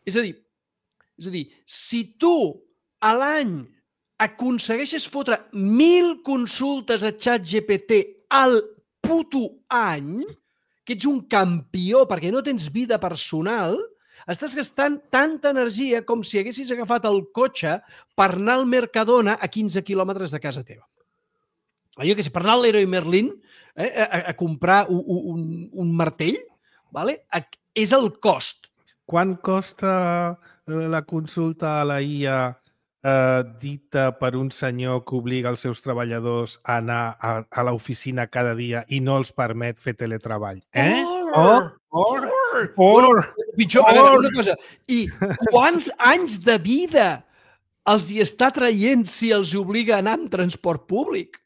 És a dir, és a dir, si tu a l'any aconsegueixes fotre mil consultes a xat G P T al puto any, que ets un campió perquè no tens vida personal, estàs gastant tanta energia com si haguessis agafat el cotxe per anar al Mercadona a quinze quilòmetres de casa teva. Jo que sé, per anar a l'Heroi Merlin eh, a, a comprar un, un, un martell, vale? És el cost. Quan costa la consulta a la I A eh, dita per un senyor que obliga els seus treballadors a anar a, a l'oficina cada dia i no els permet fer teletreball? Eh? Or, or, or, or, pitjor, or. A veure, una cosa. I quants anys de vida els hi està traient si els obliga a anar amb transport públic?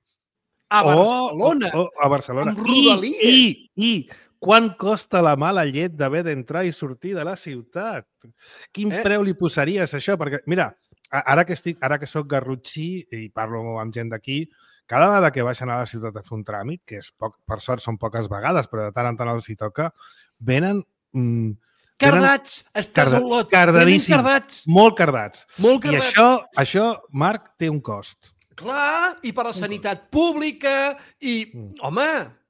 A Barcelona. Oh, oh, a Barcelona. Amb Rodalies. I, i, i quan costa la mala llet d'haver d'entrar i sortir de la ciutat? Quin eh? preu li posaries a això? Perquè, mira, ara que estic, ara que soc garrotxí i parlo amb gent d'aquí, cada vegada que baixen a la ciutat a fer un tràmit, que és poc, per sort són poques vegades, però de tant en tant els hi toca, venen... Mm, cardats, venen, estàs carda, a Olot. Cardadíssims, cardats. molt cardats. Molt cardats. I això, això, Marc, té un cost. Clar, i per la sanitat pública, i... Mm. Home,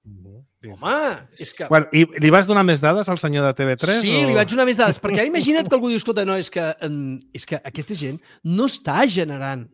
mm. home, és que... Bueno, i li vas donar més dades al senyor de T V tres? Sí, o... li vaig donar més dades, perquè ara imagina't que algú diu, escolta, no, és que, és que aquesta gent no està generant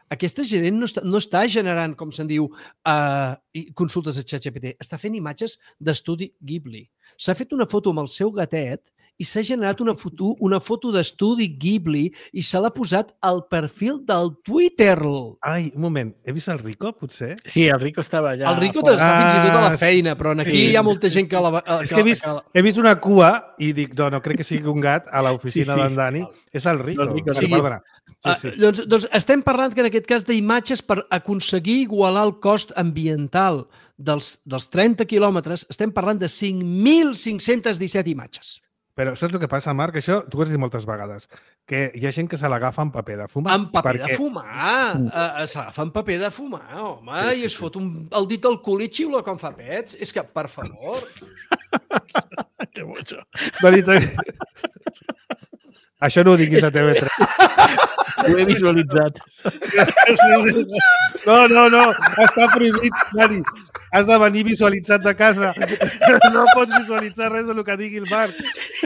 Aquesta gent no està, no està generant, com se'n diu, uh, consultes a ChatGPT. Està fent imatges d'estudi Ghibli. S'ha fet una foto amb el seu gatet i s'ha generat una foto, una foto d'estudi Ghibli i se l'ha posat al perfil del Twitter. Ai, un moment, he vist el Rico, potser? Sí, el Rico estava allà. El Rico està fins i tot a la feina, però aquí sí. hi ha molta gent que la... Que, és que he vist, he vist una cua i dic, no, no crec que sigui un gat a l'oficina sí, sí. d'en Dani. És el Rico. El Rico sí. Perdona. Sí, sí. Uh, doncs, doncs estem parlant que en aquest cas d'imatges per aconseguir igualar el cost ambiental dels, dels trenta quilòmetres, estem parlant de cinc mil cinc-cents disset imatges. Però saps el que passa, Marc? Això t'ho has dit moltes vegades, que hi ha gent que se l'agafa en paper de fumar. En paper perquè... de fumar! Uh, se l'agafa en paper de fumar, home, sí, sí, i es sí. fot un, el dit al cul i xiula quan fa pets. És que, per favor... Que bojo. Dani, això no ho diguis a T V tres. Ho he visualitzat. No, no, no, està prohibit, Dani. Has de venir visualitzat de casa. No pots visualitzar res del que digui el Marc.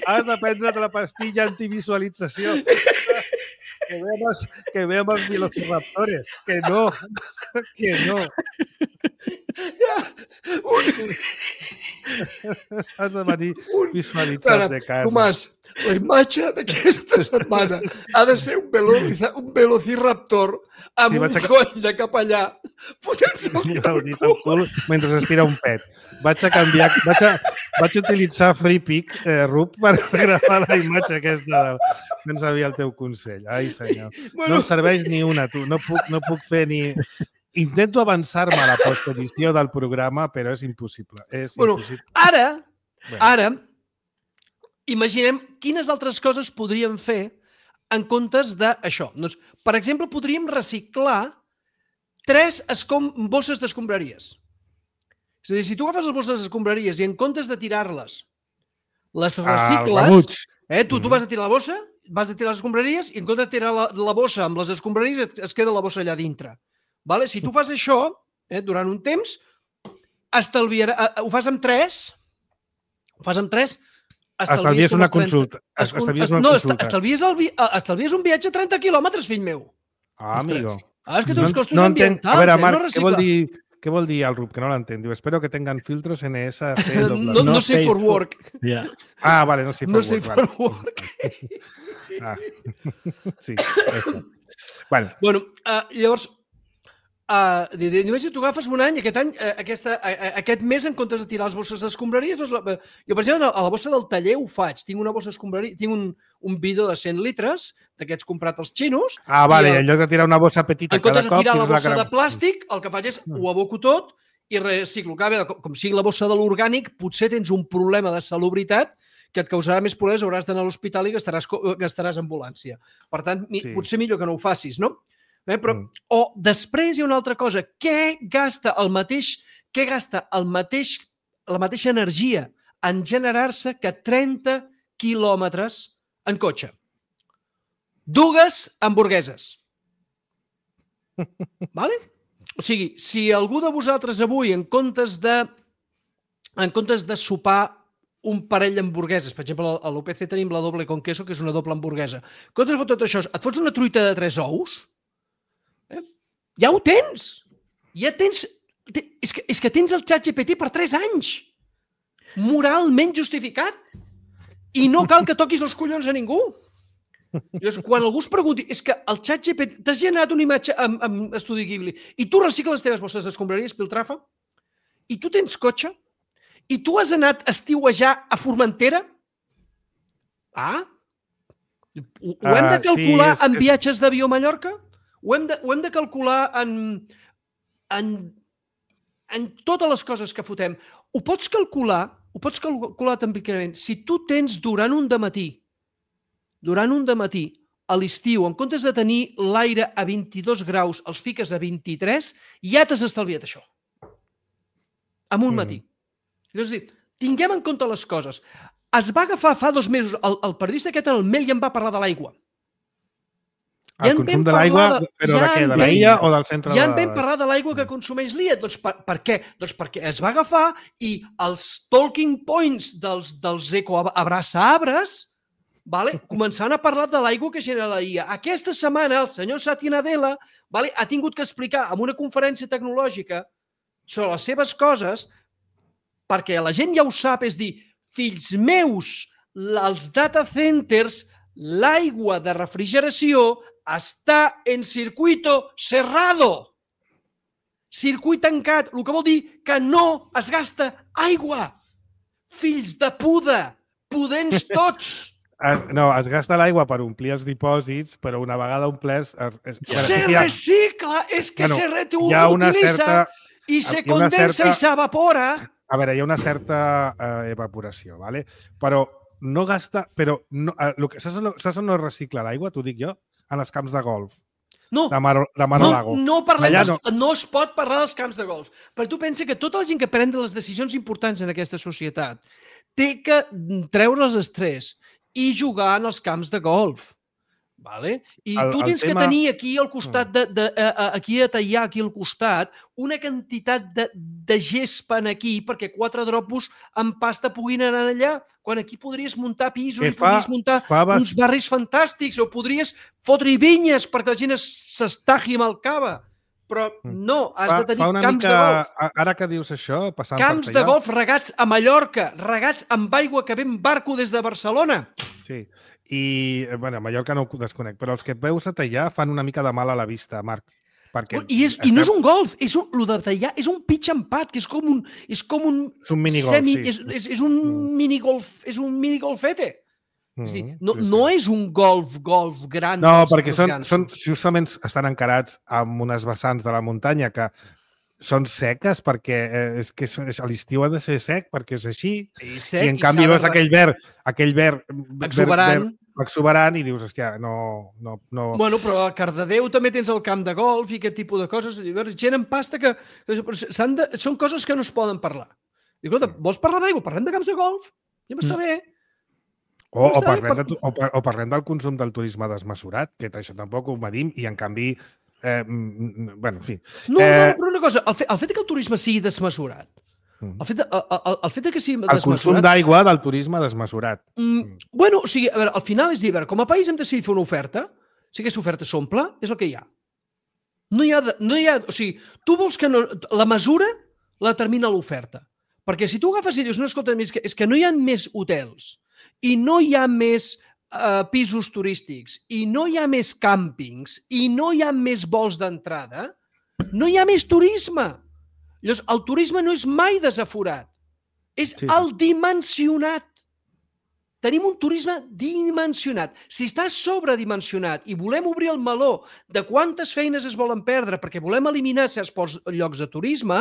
Has de prendre't la pastilla antivisualització. Que veamos, que veamos velociraptores. Que no. Que no. Has de venir visualitzat de casa. Tomàs, la imatge d'aquesta setmana ha de ser un, veloci, un velociraptor amb sí, un a... coll de capellà fotent-se el dit al cul. cul mentre estira un pet. Vaig a canviar, vaig a, vaig a utilitzar FreePic, eh, Rup, per gravar la imatge aquesta del... No en sabia el teu consell. Ai, senyor. Bueno... No em serveix ni una, tu. No puc, no puc fer ni... Intento avançar-me a la postedició del programa, però és impossible. És bueno, impossible. Ara, bueno. ara, imaginem quines altres coses podríem fer en comptes d'això. Doncs, per exemple, podríem reciclar tres escom bosses d'escombraries. És a dir, si tu agafes les bosses d'escombraries i en comptes de tirar-les, les recicles, ah, eh, tu, tu vas a tirar la bossa, vas a tirar les escombraries i en comptes de tirar la, la bossa amb les escombraries es, es queda la bossa allà dintre. Vale? Si tu fas això eh, durant un temps, estalviarà, eh, ho fas amb tres, ho fas amb tres, estalvies una consulta. Estalvies una no, consulta. Estalvies, el vi... estalvies un viatge a trenta quilòmetres, fill meu. Ah, amigo. Ah, és que té uns costos no, no ambientals. A veure, Marc, eh? No què vol dir... Què vol dir el Rup? Que no l'entenc. Diu, espero que tengan filtros N S C. No, no, no safe for work. Yeah. Ah, vale, no safe for no work. Safe vale. for work. Ah. Sí, això. Bueno, bueno uh, llavors, uh, només tu agafes un any, aquest any, uh, aquesta, uh, aquest mes, en comptes de tirar les bosses d'escombraries, doncs, uh, jo, per exemple, a la bossa del taller ho faig. Tinc una bossa d'escombraries, tinc un, un bidó de cent litres, d'aquests comprats als xinos. Ah, vale, el, en lloc de tirar una bossa petita cada cop... En comptes de tirar la bossa la de plàstic, el que faig és ho aboco tot i reciclo. Com, com sigui la bossa de l'orgànic, potser tens un problema de salubritat que et causarà més problemes, hauràs d'anar a l'hospital i gastaràs, gastaràs ambulància. Per tant, mi, sí. potser millor que no ho facis, no? Eh, però, mm. O després hi ha una altra cosa. Què gasta el mateix, què gasta el mateix, la mateixa energia en generar-se que trenta quilòmetres en cotxe? Dues hamburgueses. Vale? O sigui, si algú de vosaltres avui, en comptes de, en comptes de sopar un parell d'hamburgueses, per exemple, a l'O P C tenim la doble con queso, que és una doble hamburguesa. En comptes de fer tot això, et fots una truita de tres ous? Eh? Ja ho tens! Ja tens... És que, és que tens el ChatGPT per tres anys! Moralment justificat! I no cal que toquis els collons a ningú! Llavors, quan algú es pregunti, és que el ChatGPT, t'has generat una imatge amb, amb Estudi Ghibli i tu recicles les teves bosses d'escombraries, Piltrafa, i tu tens cotxe, i tu has anat a estiuejar a Formentera? Ah? Ho, ho hem de calcular uh, sí, és, en viatges és... d'avió a Mallorca? Ho hem de, ho hem de calcular en, en, en totes les coses que fotem. Ho pots calcular, ho pots calcular també, si tu tens durant un dematí durant un dematí, a l'estiu, en comptes de tenir l'aire a vint-i-dos graus, els fiques a vint-i-tres, ja t'has estalviat això. En un matí. Mm. És a dir, tinguem en compte les coses. Es va agafar fa dos mesos, el, el periodista aquest en el Mail ja em va parlar de l'aigua. El ja consum de l'aigua, de, però ja de què? De l'illa o del centre? Ja en vam parlar de l'aigua que consumeix l'I A. Doncs per, per què? Doncs perquè es va agafar i els talking points dels, dels ecoabraçaarbres Vale? Començant a parlar de l'aigua que genera la I A. Aquesta setmana el senyor Satya Nadella vale, ha tingut que explicar en una conferència tecnològica sobre les seves coses perquè la gent ja ho sap, és dir, fills meus, els data centers, l'aigua de refrigeració està en circuito cerrado. Circuit tancat, el que vol dir que no es gasta aigua. Fills de puta, pudents tots. No, es gasta l'aigua per omplir els dipòsits, però una vegada omplers... Es, es, se sí ha... recicla, és que bueno, se reutiliza certa, i se condensa certa, i s'evapora. A veure, hi ha una certa eh, evaporació, ¿vale? Però no gasta... Però no, eh, lo que, saps, saps on no es recicla l'aigua, t'ho dic jo? En els camps de golf. No, de Mar, de Mar no, Lago. No, parlem Allà dels, no. no es pot parlar dels camps de golf. Però tu pensa que tota la gent que pren les decisions importants en aquesta societat té que treure els estrès i jugar en els camps de golf. Vale? I el, tu tens tema... que tenir aquí al costat, de, de, de, aquí a tallar, aquí al costat, una quantitat de, de gespa aquí perquè quatre dropos amb pasta puguin anar allà, quan aquí podries muntar pisos que i fa, podries muntar faves... uns barris fantàstics o podries fotre vinyes perquè la gent s'estagi amb el cava. Però no, has fa, de tenir camps mica, de golf. Ara que dius això, passant camps per de golf regats a Mallorca, regats amb aigua que ve en barco des de Barcelona. Sí, i bueno, a Mallorca no ho desconec, però els que veus a tallar fan una mica de mal a la vista, Marc. Perquè I, és, estem... I no és un golf, és un, lo de tallar és un pitch and putt, que és com un... És, com un és un minigolf, semi, sí. És, és, és un mm. minigolf, és un minigolfete. Mm, és dir, no, sí, sí. no és un golf, golf gran. No, perquè són, són, justament estan encarats amb unes vessants de la muntanya que són seques perquè eh, és que a l'estiu ha de ser sec perquè és així. I, sec, I en canvi veus de... aquell verd, aquell verd exuberant, verd, verd, exuberant i dius, hòstia, no, no, no... Bueno, però a Cardedeu també tens el camp de golf i aquest tipus de coses. Gent en pasta que... De, són coses que no es poden parlar. I, escolta, vols parlar d'aigua? Parlem de camps de golf? Ja m'està mm. bé. O, o, parlem de, o, o parlem del consum del turisme desmesurat, que això tampoc ho medim, i en canvi, eh, bueno, en fi. No, eh, no, però una cosa, el fet, el fet que el turisme sigui desmesurat, el fet, de, el, el fet de que sigui el desmesurat... El consum d'aigua del turisme desmesurat. Mm, bueno, o sigui, a veure, al final és dir, a veure, com a país hem decidit fer una oferta, si aquesta oferta s'omple, és el que hi ha. No hi ha, de, no hi ha, o sigui, tu vols que no, la mesura la determina l'oferta. Perquè si tu agafes i dius, no, escolta, és que, és que no hi ha més hotels, i no hi ha més uh, pisos turístics, i no hi ha més càmpings, i no hi ha més vols d'entrada, no hi ha més turisme. Llavors, el turisme no és mai desaforat, és sí. el dimensionat. Tenim un turisme dimensionat. Si està sobredimensionat i volem obrir el meló de quantes feines es volen perdre perquè volem eliminar certs llocs de turisme,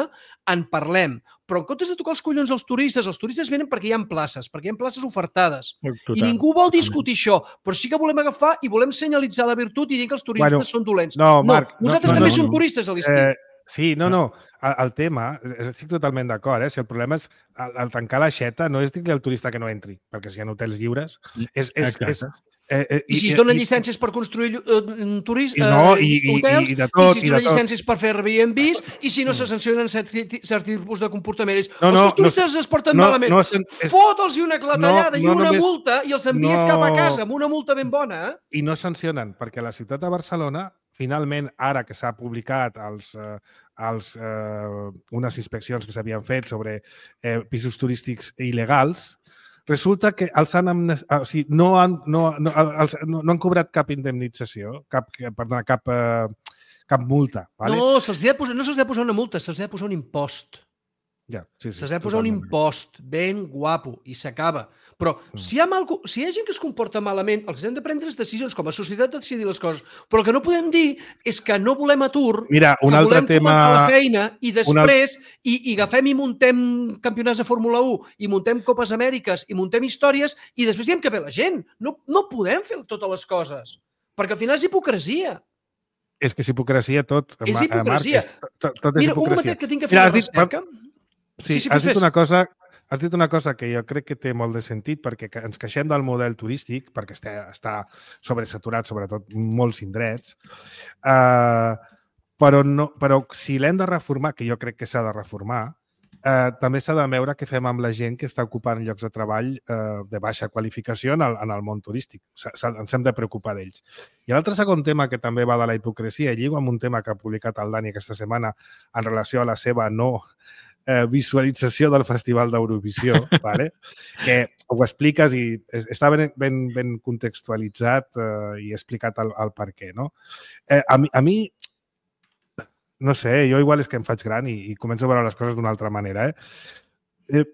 en parlem. Però en comptes de tocar els collons als turistes, els turistes venen perquè hi ha places, perquè hi ha places ofertades. Total. I ningú vol discutir això, però sí que volem agafar i volem senyalitzar la virtut i dir que els turistes bueno, són dolents. No, Marc, no nosaltres no, també no, som no. turistes a l'estiu. Eh... Sí, no, no. El, el tema, estic totalment d'acord, eh? Si el problema és el, el tancar l'aixeta, no és dir-li al turista que no entri, perquè si hi ha hotels lliures... És, és, és, eh, eh, I si es donen i, llicències per construir uh, turisme, no, i, uh, hotels, i, i, de tot, i si es donen llicències per fer Airbnbs, i si no se sancionen certs tipus de comportaments. No, no, els turistes no, es porten no, malament. No, és... Fota'ls una clatellada no, no, i una només, multa i els envies no, cap a casa amb una multa ben bona. Eh? I no sancionen, perquè la ciutat de Barcelona, finalment, ara que s'ha publicat els... Eh, els, eh, unes inspeccions que s'havien fet sobre eh, pisos turístics il·legals, resulta que els han, o sigui, no, han, no, no, els, no, no han cobrat cap indemnització, cap, perdona, cap, eh, cap multa. Vale? No, se'ls ha de posar, no se'ls ha de posar una multa, se'ls ha de posar un impost. Ja, sí, sí, se'ls ha de posar un impost ben guapo i s'acaba. Però mm. si, hi ha mal, si hi ha gent que es comporta malament, el que hem de prendre és decisions, com a societat de decidir les coses. Però el que no podem dir és que no volem atur, Mira, un que altre volem tema... fomentar la feina i després una... i, i agafem i muntem campionats de Fórmula u i muntem Copes Amèriques i muntem històries i després diem que ve la gent. No, no podem fer totes les coses, perquè al final és hipocresia. És que és hipocresia tot. És hipocresia. Marc, és, tot, tot és Mira, hipocresia. un mateix que tinc que fer Mira, una recerca... Dit... Sí, sí, sí, has dit una cosa, has dit una cosa que jo crec que té molt de sentit perquè ens queixem del model turístic perquè està, està sobresaturat, sobretot molts indrets, uh, però, no, però si l'hem de reformar, que jo crec que s'ha de reformar, uh, també s'ha de veure què fem amb la gent que està ocupant llocs de treball uh, de baixa qualificació en el, en el món turístic. S ens hem de preocupar d'ells. I l'altre segon tema que també va de la hipocresia, lligo amb un tema que ha publicat el Dani aquesta setmana en relació a la seva no eh, visualització del Festival d'Eurovisió, vale? Que ho expliques i està ben, ben, ben contextualitzat eh, i explicat el, el per què, no? Eh, a, mi, a mi, no sé, jo igual és que em faig gran i, i començo a veure les coses d'una altra manera, eh? eh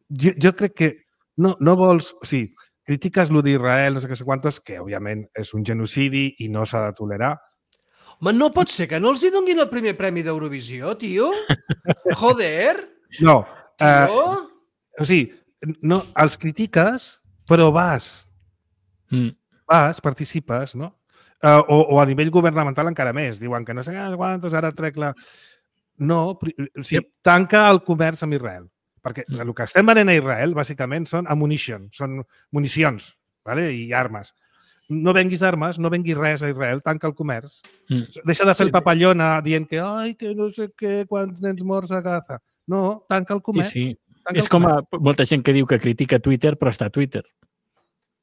jo, jo crec que no, no vols... O sigui, critiques lo d'Israel, no sé què sé quantos, que òbviament és un genocidi i no s'ha de tolerar. Home, no pot ser que no els hi donguin el primer premi d'Eurovisió, tio? Joder! No. Tio? Uh, o sigui, no, els critiques, però vas. Mm. Vas, participes, no? Uh, o, o a nivell governamental encara més. Diuen que no sé quantos, ara trec la... No, o sigui, yep. Tanca el comerç amb Israel. Perquè mm. el que estem venent a Israel, bàsicament, són ammunition, són municions, vale? I armes. No venguis armes, no venguis res a Israel, tanca el comerç. Mm. Deixa de fer sí. el papallona dient que, ai, que no sé què, quants nens morts a Gaza. No, tanca el comerç. Sí, sí. Tanca és com a, molta gent que diu que critica Twitter, però està a Twitter.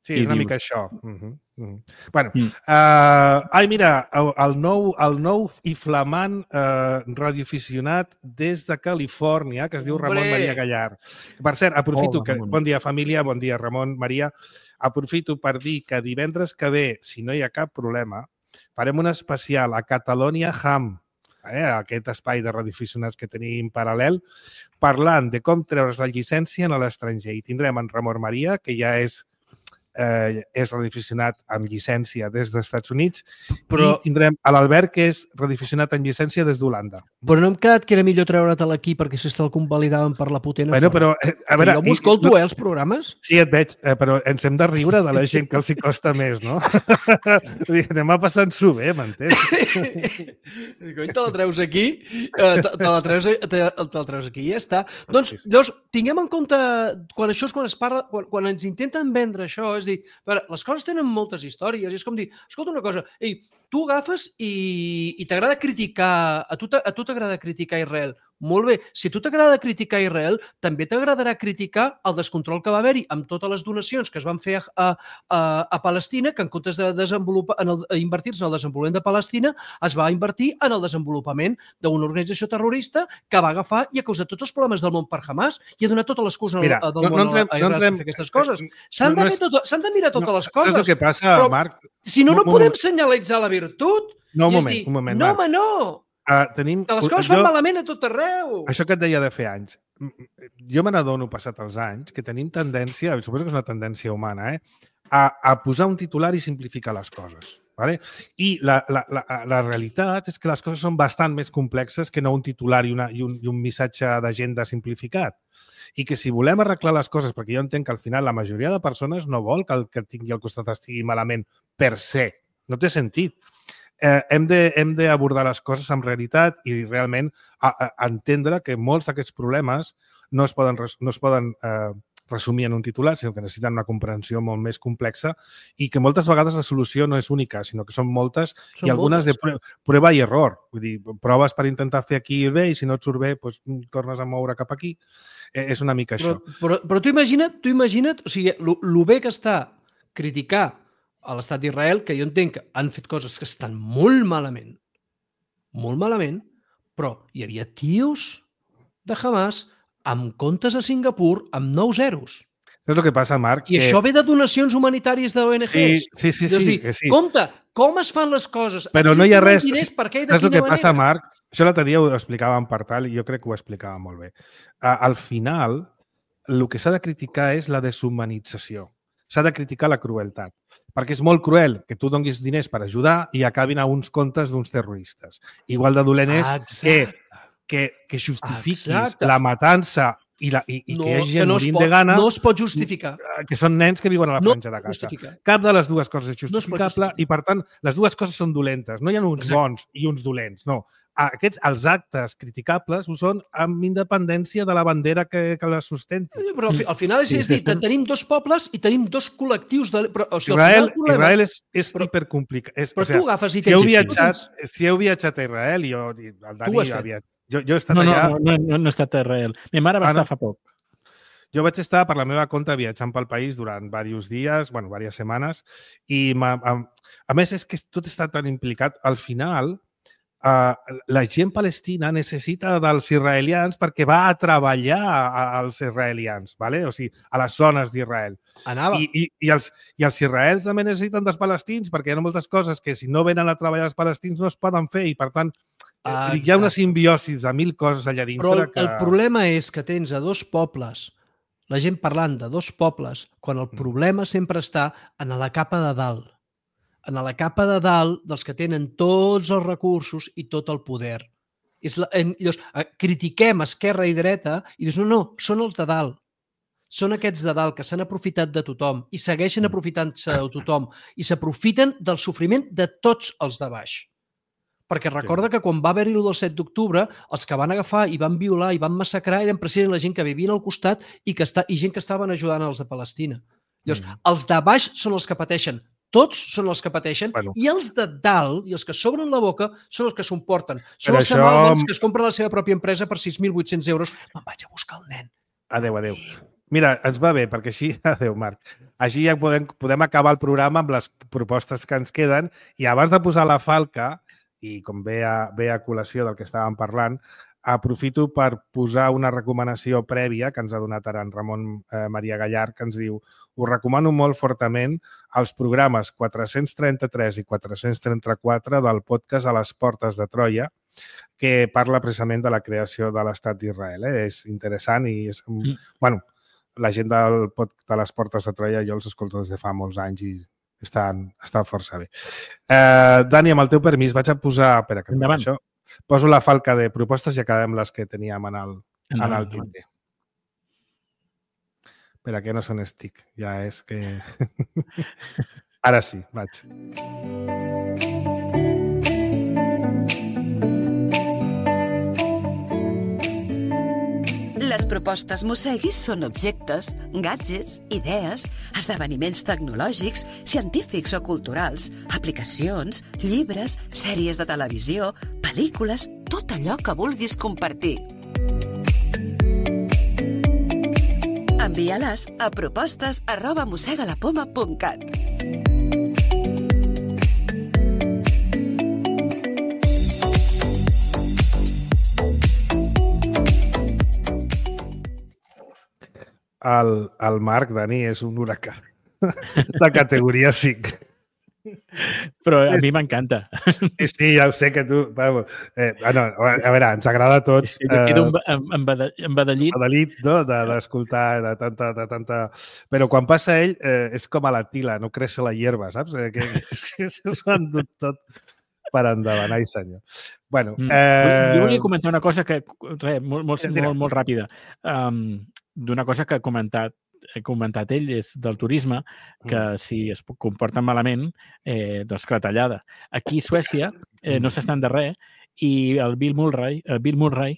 Sí, és una diu... mica això. Uh -huh. Uh -huh. Bueno, mm. uh, ai, mira, el, el, nou, el nou i flamant uh, radioaficionat des de Califòrnia, que es diu Ramon Maria Gallar. Per cert, aprofito oh, que... Bon dia, família, bon dia, Ramon, Maria. Aprofito per dir que divendres que ve, si no hi ha cap problema, farem un especial a Catalonia Ham, eh, aquest espai de radioaficionats que tenim paral·lel, parlant de com treure's la llicència a l'estranger. I tindrem en Ramon Maria, que ja és Eh, és radioaficionat amb llicència des dels Estats Units, però i tindrem a l'Albert, que és radioaficionat amb llicència des d'Holanda. Però no hem quedat que era millor treure't aquí perquè si te'l convalidaven per la potent bueno, però, eh, a veure, jo m'ho escolto, i, eh, els programes. Sí, et veig, eh, però ens hem de riure de la gent que els hi costa més, no? Anem a passant-s'ho bé, m'entens? Cony, te la treus aquí, eh, te, te, la treus, te, te la treus aquí i ja està. Doncs, llavors, tinguem en compte, quan això és quan es parla, quan, quan ens intenten vendre això, és dir, veure, les coses tenen moltes històries i és com dir, escolta una cosa, ei, tu agafes i, i t'agrada criticar, a tu t'agrada criticar Israel, molt bé, si a tu t'agrada criticar Israel, també t'agradarà criticar el descontrol que va haver-hi amb totes les donacions que es van fer a, a, a Palestina, que en comptes de desenvolupar, en el, invertir-se en el desenvolupament de Palestina, es va invertir en el desenvolupament d'una organització terrorista que va agafar i ha causat tots els problemes del món per Hamas i ha donat tota l'excusa del no, món no entrem, a Israel no entrem, per fer aquestes coses. S'han no, de, no tot, de mirar totes no, les coses. Saps el que passa, però, Marc? Si no, no podem senyalitzar la virtut. No, un moment, dir, un moment, no, Marc. home, no. Uh, tenim, que les coses jo, fan malament a tot arreu. Això que et deia de fer anys. Jo me n'adono, passat els anys, que tenim tendència, suposo que és una tendència humana, eh, a, a posar un titular i simplificar les coses. Vale? I la, la, la, la realitat és que les coses són bastant més complexes que no un titular i, una, i, un, i un missatge d'agenda simplificat. I que si volem arreglar les coses, perquè jo entenc que al final la majoria de persones no vol que el que tingui al costat estigui malament per se. No té sentit. Eh, hem de, hem d'abordar les coses amb realitat i realment a, a entendre que molts d'aquests problemes no es poden, no es poden eh, resumir en un titular, sinó que necessiten una comprensió molt més complexa i que moltes vegades la solució no és única, sinó que són moltes són i algunes moltes. de prova i error. Vull dir, proves per intentar fer aquí bé i si no et surt bé, doncs, tornes a moure cap aquí. Eh, és una mica però, això. Però, però tu imagina't, tu imagina't, o sigui, el bé que està criticar a l'estat d'Israel, que jo entenc que han fet coses que estan molt malament, molt malament, però hi havia tios de Hamas amb comptes a Singapur amb nou zeros. És el que passa, Marc. I que... això ve de donacions humanitàries d'O N Gs. Sí, sí, sí. sí, dir, sí. Compte, com es fan les coses? Però no hi ha res... Diners, per què i de és el que manera? passa, Marc. Això l'altre dia ho explicàvem per tal i jo crec que ho explicava molt bé. Al final, el que s'ha de criticar és la deshumanització. S'ha de criticar la crueltat. Perquè és molt cruel que tu donis diners per ajudar i acabin a uns comptes d'uns terroristes. Igual de dolent és que, que, que justifiquis Exacte. la matança i, la, i, i no, que hi hagi gent no morint pot, de gana... No es pot justificar. Que són nens que viuen a la franja no de Gaza. Cap de les dues coses és justificable no i, per tant, les dues coses són dolentes. No hi ha uns Exacte. bons i uns dolents, no. Aquests, els actes criticables ho són amb independència de la bandera que, que les sustenti. Però al, al final és, sí, és dir, estem... tenim dos pobles i tenim dos col·lectius de... Però, o sigui, Israel, problema... Israel és, és però, hipercomplicat. És, però o sigui, tu agafes i si heu, tens... viatjat, si heu viatjat a Israel, jo, el Dani havia... Jo, jo he estat no, no, allà... No, no, no, no he estat a Israel. Mi mare va ah, estar no. fa poc. Jo vaig estar per la meva compte viatjant pel país durant diversos dies, bueno, diverses setmanes, i a, a més és que tot està tan implicat. Al final, Uh, la gent palestina necessita dels israelians perquè va a treballar als israelians, ¿vale? O sigui, a les zones d'Israel. Anava. I, i, i, els, I els israels també necessiten dels palestins perquè hi ha moltes coses que si no venen a treballar els palestins no es poden fer i, per tant, ah, hi ha una simbiosis de mil coses allà dintre. Però el, que... el problema és que tens a dos pobles, la gent parlant de dos pobles, quan el problema sempre està en la capa de dalt. En la capa de dalt dels que tenen tots els recursos i tot el poder. És la, en, llavors, critiquem esquerra i dreta i dius, no, no, són els de dalt. Són aquests de dalt que s'han aprofitat de tothom i segueixen aprofitant-se de tothom i s'aprofiten del sofriment de tots els de baix. Perquè recorda que quan va haver-hi el del set d'octubre, els que van agafar i van violar i van massacrar eren precisament la gent que vivien al costat i, que està, i gent que estaven ajudant els de Palestina. Llavors, mm. els de baix són els que pateixen. Tots són els que pateixen, bueno. I els de dalt, i els que s'obren la boca, són els que s'ho emporten. Són els això... samalmans que es compren la seva pròpia empresa per sis mil vuit-cents euros. Me'n vaig a buscar el nen. Adéu, adéu. Mira, ens va bé, perquè així... Adéu, Marc. Així ja podem, podem acabar el programa amb les propostes que ens queden i abans de posar la falca, i com ve a, ve a col·lació del que estàvem parlant, aprofito per posar una recomanació prèvia que ens ha donat ara en Ramon eh, Maria Gallar, que ens diu: us recomano molt fortament els programes quatre-cents trenta-tres i quatre-cents trenta-quatre del podcast A les portes de Troia, que parla precisament de la creació de l'Estat d'Israel. Eh? És interessant i és... Mm. Bueno, la gent del pod, de les portes de Troia jo els escolto des de fa molts anys i estan, estan força bé. Eh, Dani, amb el teu permís, vaig a posar... Espera, que endavant. Això. Poso la falca de propostes i acabem les que teníem en el, en el tinter. Espera, que no són estic. Ja és que... Ara sí, vaig. Les propostes Mosseguis són objectes, gadgets, idees, esdeveniments tecnològics, científics o culturals, aplicacions, llibres, sèries de televisió, pel·lícules, tot allò que vulguis compartir. Envia-les a propostes arroba mossegalapoma punt cat. El, el Marc, Dani, és un huracà de categoria cinc. Però a mi m'encanta. Sí, sí, ja ho sé que tu... Vamos, eh, no, a veure, ens agrada a tots... Sí, jo quedo eh, embadallit. Embadallit, no?, d'escoltar, de, de tanta, de tanta... Però quan passa ell, eh, és com a la tila, no creix la hierba, saps? Eh, que, que s'ho han dut tot per endavant, ai senyor. Bueno, eh... Jo volia comentar una cosa que, res, molt, molt, molt, molt ràpida. Um, d'una cosa que ha comentat, he comentat ell, és del turisme, que si es comporten malament, eh, doncs clatellada. Aquí a Suècia eh, no s'estan de res i el Bill Murray, el Bill Murray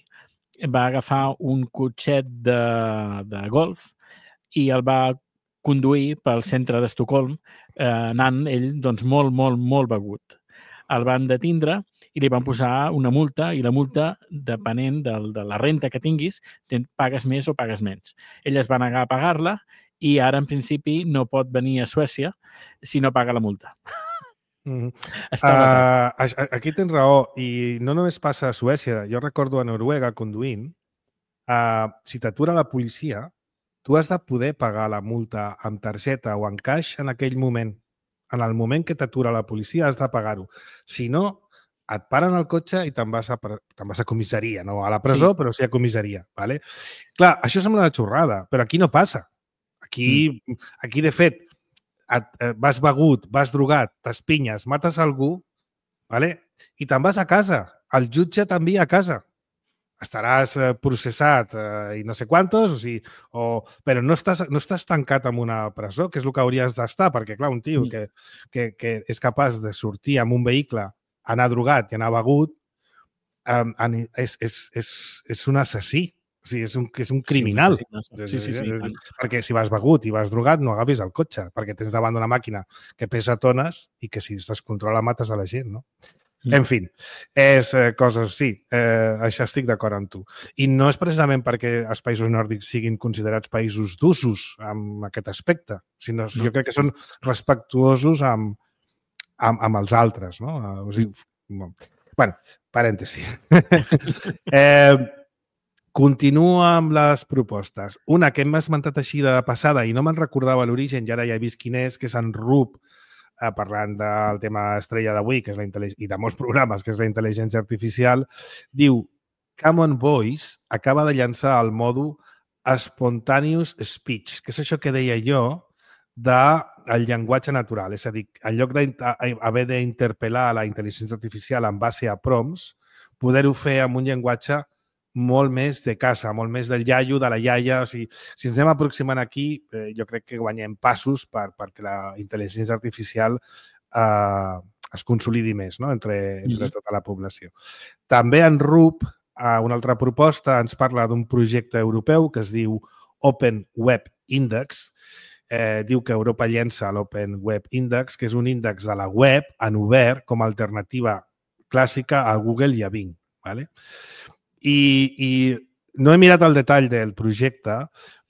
va agafar un cotxet de, de golf i el va conduir pel centre d'Estocolm, eh, anant ell doncs, molt, molt, molt begut. El van detindre i li van posar una multa i la multa, depenent del, de la renta que tinguis, pagues més o pagues menys. Ell es va negar a pagar-la i ara, en principi, no pot venir a Suècia si no paga la multa. Mm-hmm. uh, aquí tens raó. I no només passa a Suècia. Jo recordo a Noruega conduint. Uh, si t'atura la policia, tu has de poder pagar la multa amb targeta o en caix en aquell moment. En el moment que t'atura la policia has de pagar-ho. Si no, et paren el cotxe i te'n vas, te vas a comissaria, no a la presó, sí. Però sí a comissaria. Vale? Clar, això sembla una xorrada, però aquí no passa. Aquí, mm. aquí de fet, et, vas begut, vas drogat, t'espinyes, mates algú, vale? I te'n vas a casa. El jutge t'envia a casa. Estaràs processat eh, i no sé quantos, o sigui, o, però no estàs, no estàs tancat en una presó, que és el que hauries d'estar, perquè, clar, un tio mm. que, que, que és capaç de sortir amb un vehicle, anar drogat i anar begut, um, és, és, és, és un assassí. O sigui, és un, és un criminal. Sí, sí, sí, sí, sí. Perquè si vas begut i vas drogat, no agafis el cotxe, perquè tens davant d'una màquina que pesa tones i que si es descontrola mates a la gent, no? Mm. En fi, és eh, coses, sí, eh, això estic d'acord amb tu. I no és precisament perquè els països nòrdics siguin considerats països d'usos amb aquest aspecte, sinó no. Jo crec que són respectuosos amb, amb, amb els altres, no? O sigui, no. Bueno, parèntesi. eh, Continua amb les propostes. Una que hem esmentat així de passada i no me'n recordava l'origen i ara ja he vist quin és, que és en Rup, eh, parlant del tema estrella d'avui, que és la intel·ligència, i de molts programes, que és la intel·ligència artificial, diu Common Voice acaba de llançar el mòdul Spontaneous Speech, que és això que deia jo del llenguatge natural. És a dir, en lloc d'haver d'interpel·lar la intel·ligència artificial en base a prompts, poder-ho fer amb un llenguatge molt més de casa, molt més del iaio, de la iaia. O sigui, si ens anem aproximant aquí, eh, jo crec que guanyem passos per, perquè la intel·ligència artificial eh, es consolidi més, no? entre, entre tota la població. També en Rup, eh, una altra proposta, ens parla d'un projecte europeu que es diu Open Web Index. Eh, diu que Europa llença l'Open Web Index, que és un índex de la web en obert com a alternativa clàssica a Google i a Bing. ¿Vale? I, i no he mirat el detall del projecte,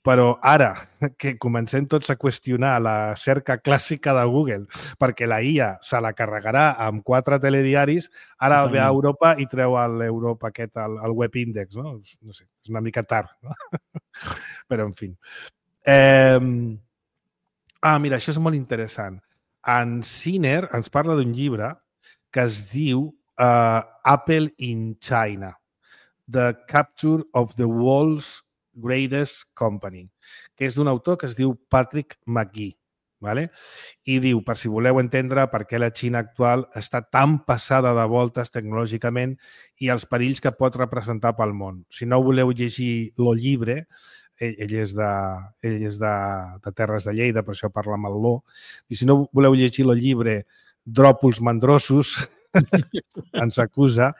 però ara que comencem tots a qüestionar la cerca clàssica de Google perquè la I A se la carregarà amb quatre telediaris, ara Totalment. Ve a Europa i treu l'Europa aquest, el, el Web Index, no? No sé, és una mica tard, no? Però, en fi. Eh... Ah, mira, això és molt interessant. En Sinner ens parla d'un llibre que es diu uh, Apple in China, The Capture of the World's Greatest Company, que és d'un autor que es diu Patrick McGee. ¿Vale? I diu, per si voleu entendre per què la Xina actual està tan passada de voltes tecnològicament i els perills que pot representar pel món. Si no voleu llegir lo llibre, ell, ell és, de, ell és de, de Terres de Lleida, per això parla amb el Lo, i si no voleu llegir lo llibre Dròpols mandrosos, ens acusa,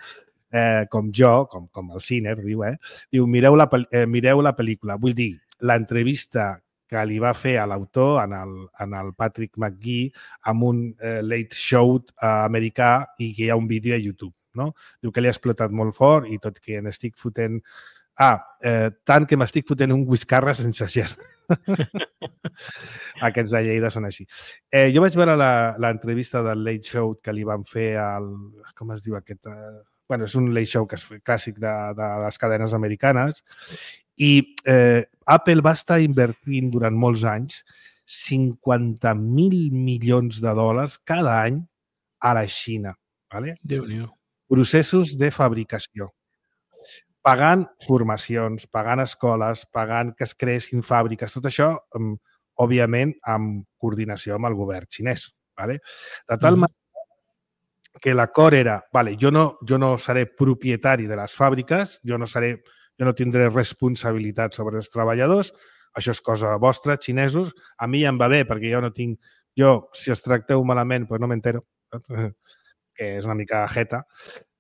Eh, com jo, com, com el Sinner, diu, eh? Diu, mireu la, eh, mireu la pel·lícula. Vull dir, l'entrevista que li va fer a l'autor, en, el, en el Patrick McGee, amb un eh, late show eh, americà i que hi ha un vídeo a YouTube. No? Diu que li ha explotat molt fort i tot que n'estic fotent... Ah, eh, tant que m'estic fotent un whiskarra sense ger. Aquests de Lleida són així. Eh, jo vaig veure l'entrevista del late show que li van fer al... Com es diu aquest... Eh, bueno, és un late show que és clàssic de, de les cadenes americanes i eh, Apple va estar invertint durant molts anys cinquanta mil milions de dòlars cada any a la Xina. ¿Vale? Déu-n'hi-do. Processos de fabricació. Pagant formacions, pagant escoles, pagant que es creessin fàbriques, tot això, òbviament, amb coordinació amb el govern xinès. ¿Vale? De tal manera que l'acord era, vale, jo no, jo no seré propietari de les fàbriques, jo no, seré, jo no tindré responsabilitat sobre els treballadors, això és cosa vostra, xinesos, a mi ja em va bé perquè jo no tinc, jo, si els tracteu malament, doncs no m'entero, que és una mica jeta.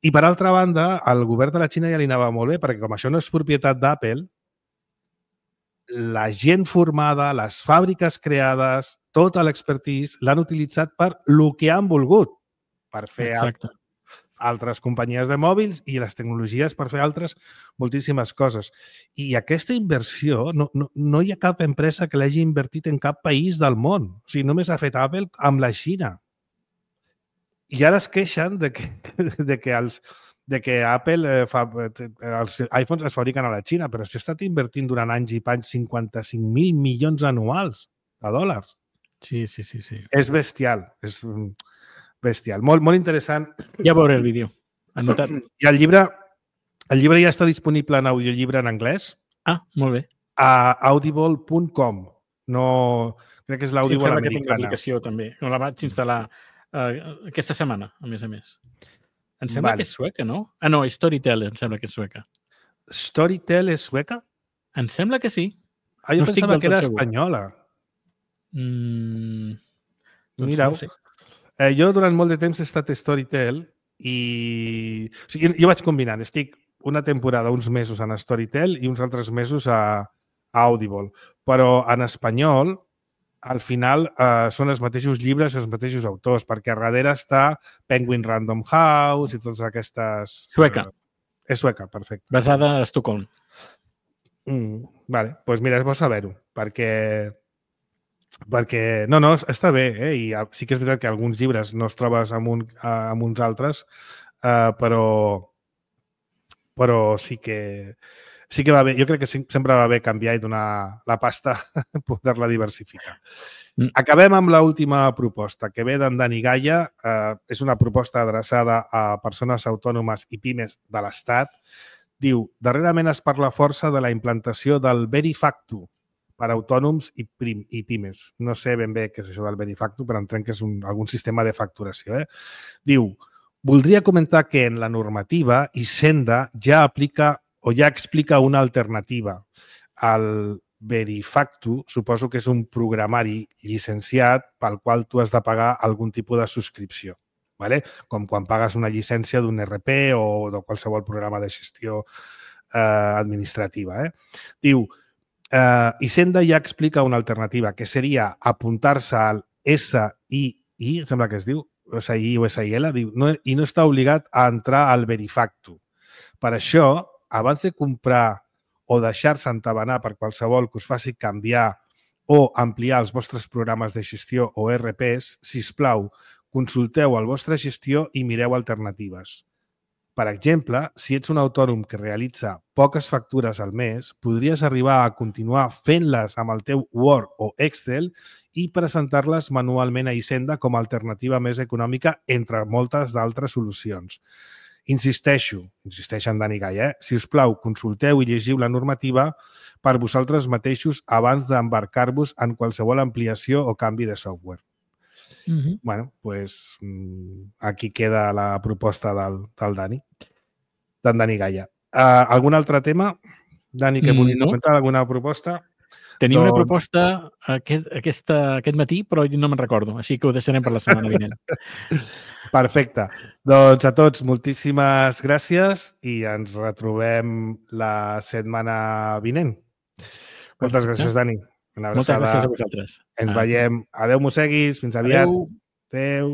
I per altra banda, al govern de la Xina ja li anava molt bé perquè com això no és propietat d'Apple, la gent formada, les fàbriques creades, tota l'expertise l'han utilitzat per lo que han volgut, per fer altres, altres companyies de mòbils i les tecnologies per fer altres moltíssimes coses. I aquesta inversió, no, no, no hi ha cap empresa que l'hagi invertit en cap país del món. O sigui, només ha fet Apple amb la Xina. I ara es queixen de que, de que, els, de que Apple, eh, fa, els iPhones es fabriquen a la Xina, però s'ha estat invertint durant anys i panys cinquanta-cinc mil milions anuals de dòlars. Sí, sí, sí. sí. És bestial. És... bestial. Molt, molt interessant. Ja veuré el vídeo. Anotat. I el llibre, el llibre ja està disponible en audiollibre en anglès. Ah, molt bé. A audible punt com. No, crec que és l'Audible sí, americana. Que tinc l'aplicació també. No la vaig instal·lar uh, aquesta setmana, a més a més. Em sembla vale. que és sueca, no? Ah, no, Storytel em sembla que és sueca. Storytel és sueca? Em sembla que sí. Ah, jo no pensava que era segur. espanyola. Mm, doncs Mira, no sé. Eh, jo durant molt de temps he estat Storytel i... O sigui, jo vaig combinant. Estic una temporada, uns mesos en Storytel i uns altres mesos a, a Audible. Però en espanyol, al final, eh, són els mateixos llibres i els mateixos autors, perquè a darrere està Penguin Random House i totes aquestes... Sueca. Eh, és sueca, perfecte. Basada a Estocolm. Mm, vale, doncs pues mira, és bo saber-ho, perquè... perquè, no, no, està bé, eh? I sí que és veritat que alguns llibres no es trobes amb, un, amb uns altres, uh, però, però sí que sí que va bé. Jo crec que sempre va bé canviar i donar la pasta, poder-la diversificar. Mm. Acabem amb l'última proposta, que ve d'en Dani Gaia. Eh, és una proposta adreçada a persones autònomes i pimes de l'Estat. Diu, darrerament es parla força de la implantació del Verifactu per a autònoms i, prim, i pimes. No sé ben bé què és això del Verifactu, però entenc que és un, algun sistema de facturació. Eh? Diu, voldria comentar que en la normativa Hisenda ja aplica o ja explica una alternativa. El Verifactu suposo que és un programari llicenciat pel qual tu has de pagar algun tipus de subscripció, ¿vale? Com quan pagues una llicència d'un R P o de qualsevol programa de gestió eh, administrativa. Eh? Diu, eh, Hisenda ja explica una alternativa, que seria apuntar-se al S I I, sembla que es diu, S I I o S I L, diu, no, i no està obligat a entrar al Verifactu. Per això, abans de comprar o deixar-se entabanar per qualsevol que us faci canviar o ampliar els vostres programes de gestió o R Ps, sisplau, consulteu el vostre gestió i mireu alternatives. Per exemple, si ets un autònom que realitza poques factures al mes, podries arribar a continuar fent-les amb el teu Word o Excel i presentar-les manualment a Hisenda com a alternativa més econòmica entre moltes d'altres solucions. Insisteixo, insisteix en Dani Gaia, eh? Si us plau, consulteu i llegiu la normativa per vosaltres mateixos abans d'embarcar-vos en qualsevol ampliació o canvi de software. Mm-hmm. Bueno, pues aquí queda la proposta del, del Dani, d'en Dani Gaia. Uh, algun altre tema, Dani, que vulguis no. comentar? Alguna proposta? Tenia doncs... una proposta aquest, aquesta, aquest matí, però no me'n recordo, així que ho deixarem per la setmana vinent. Perfecte. Doncs a tots, moltíssimes gràcies i ens retrobem la setmana vinent. Moltes gràcies, Dani. Una abraçada. Moltes gràcies a vosaltres. Ens veiem. Adéu, mosseguis. Fins aviat. Adéu. Adéu.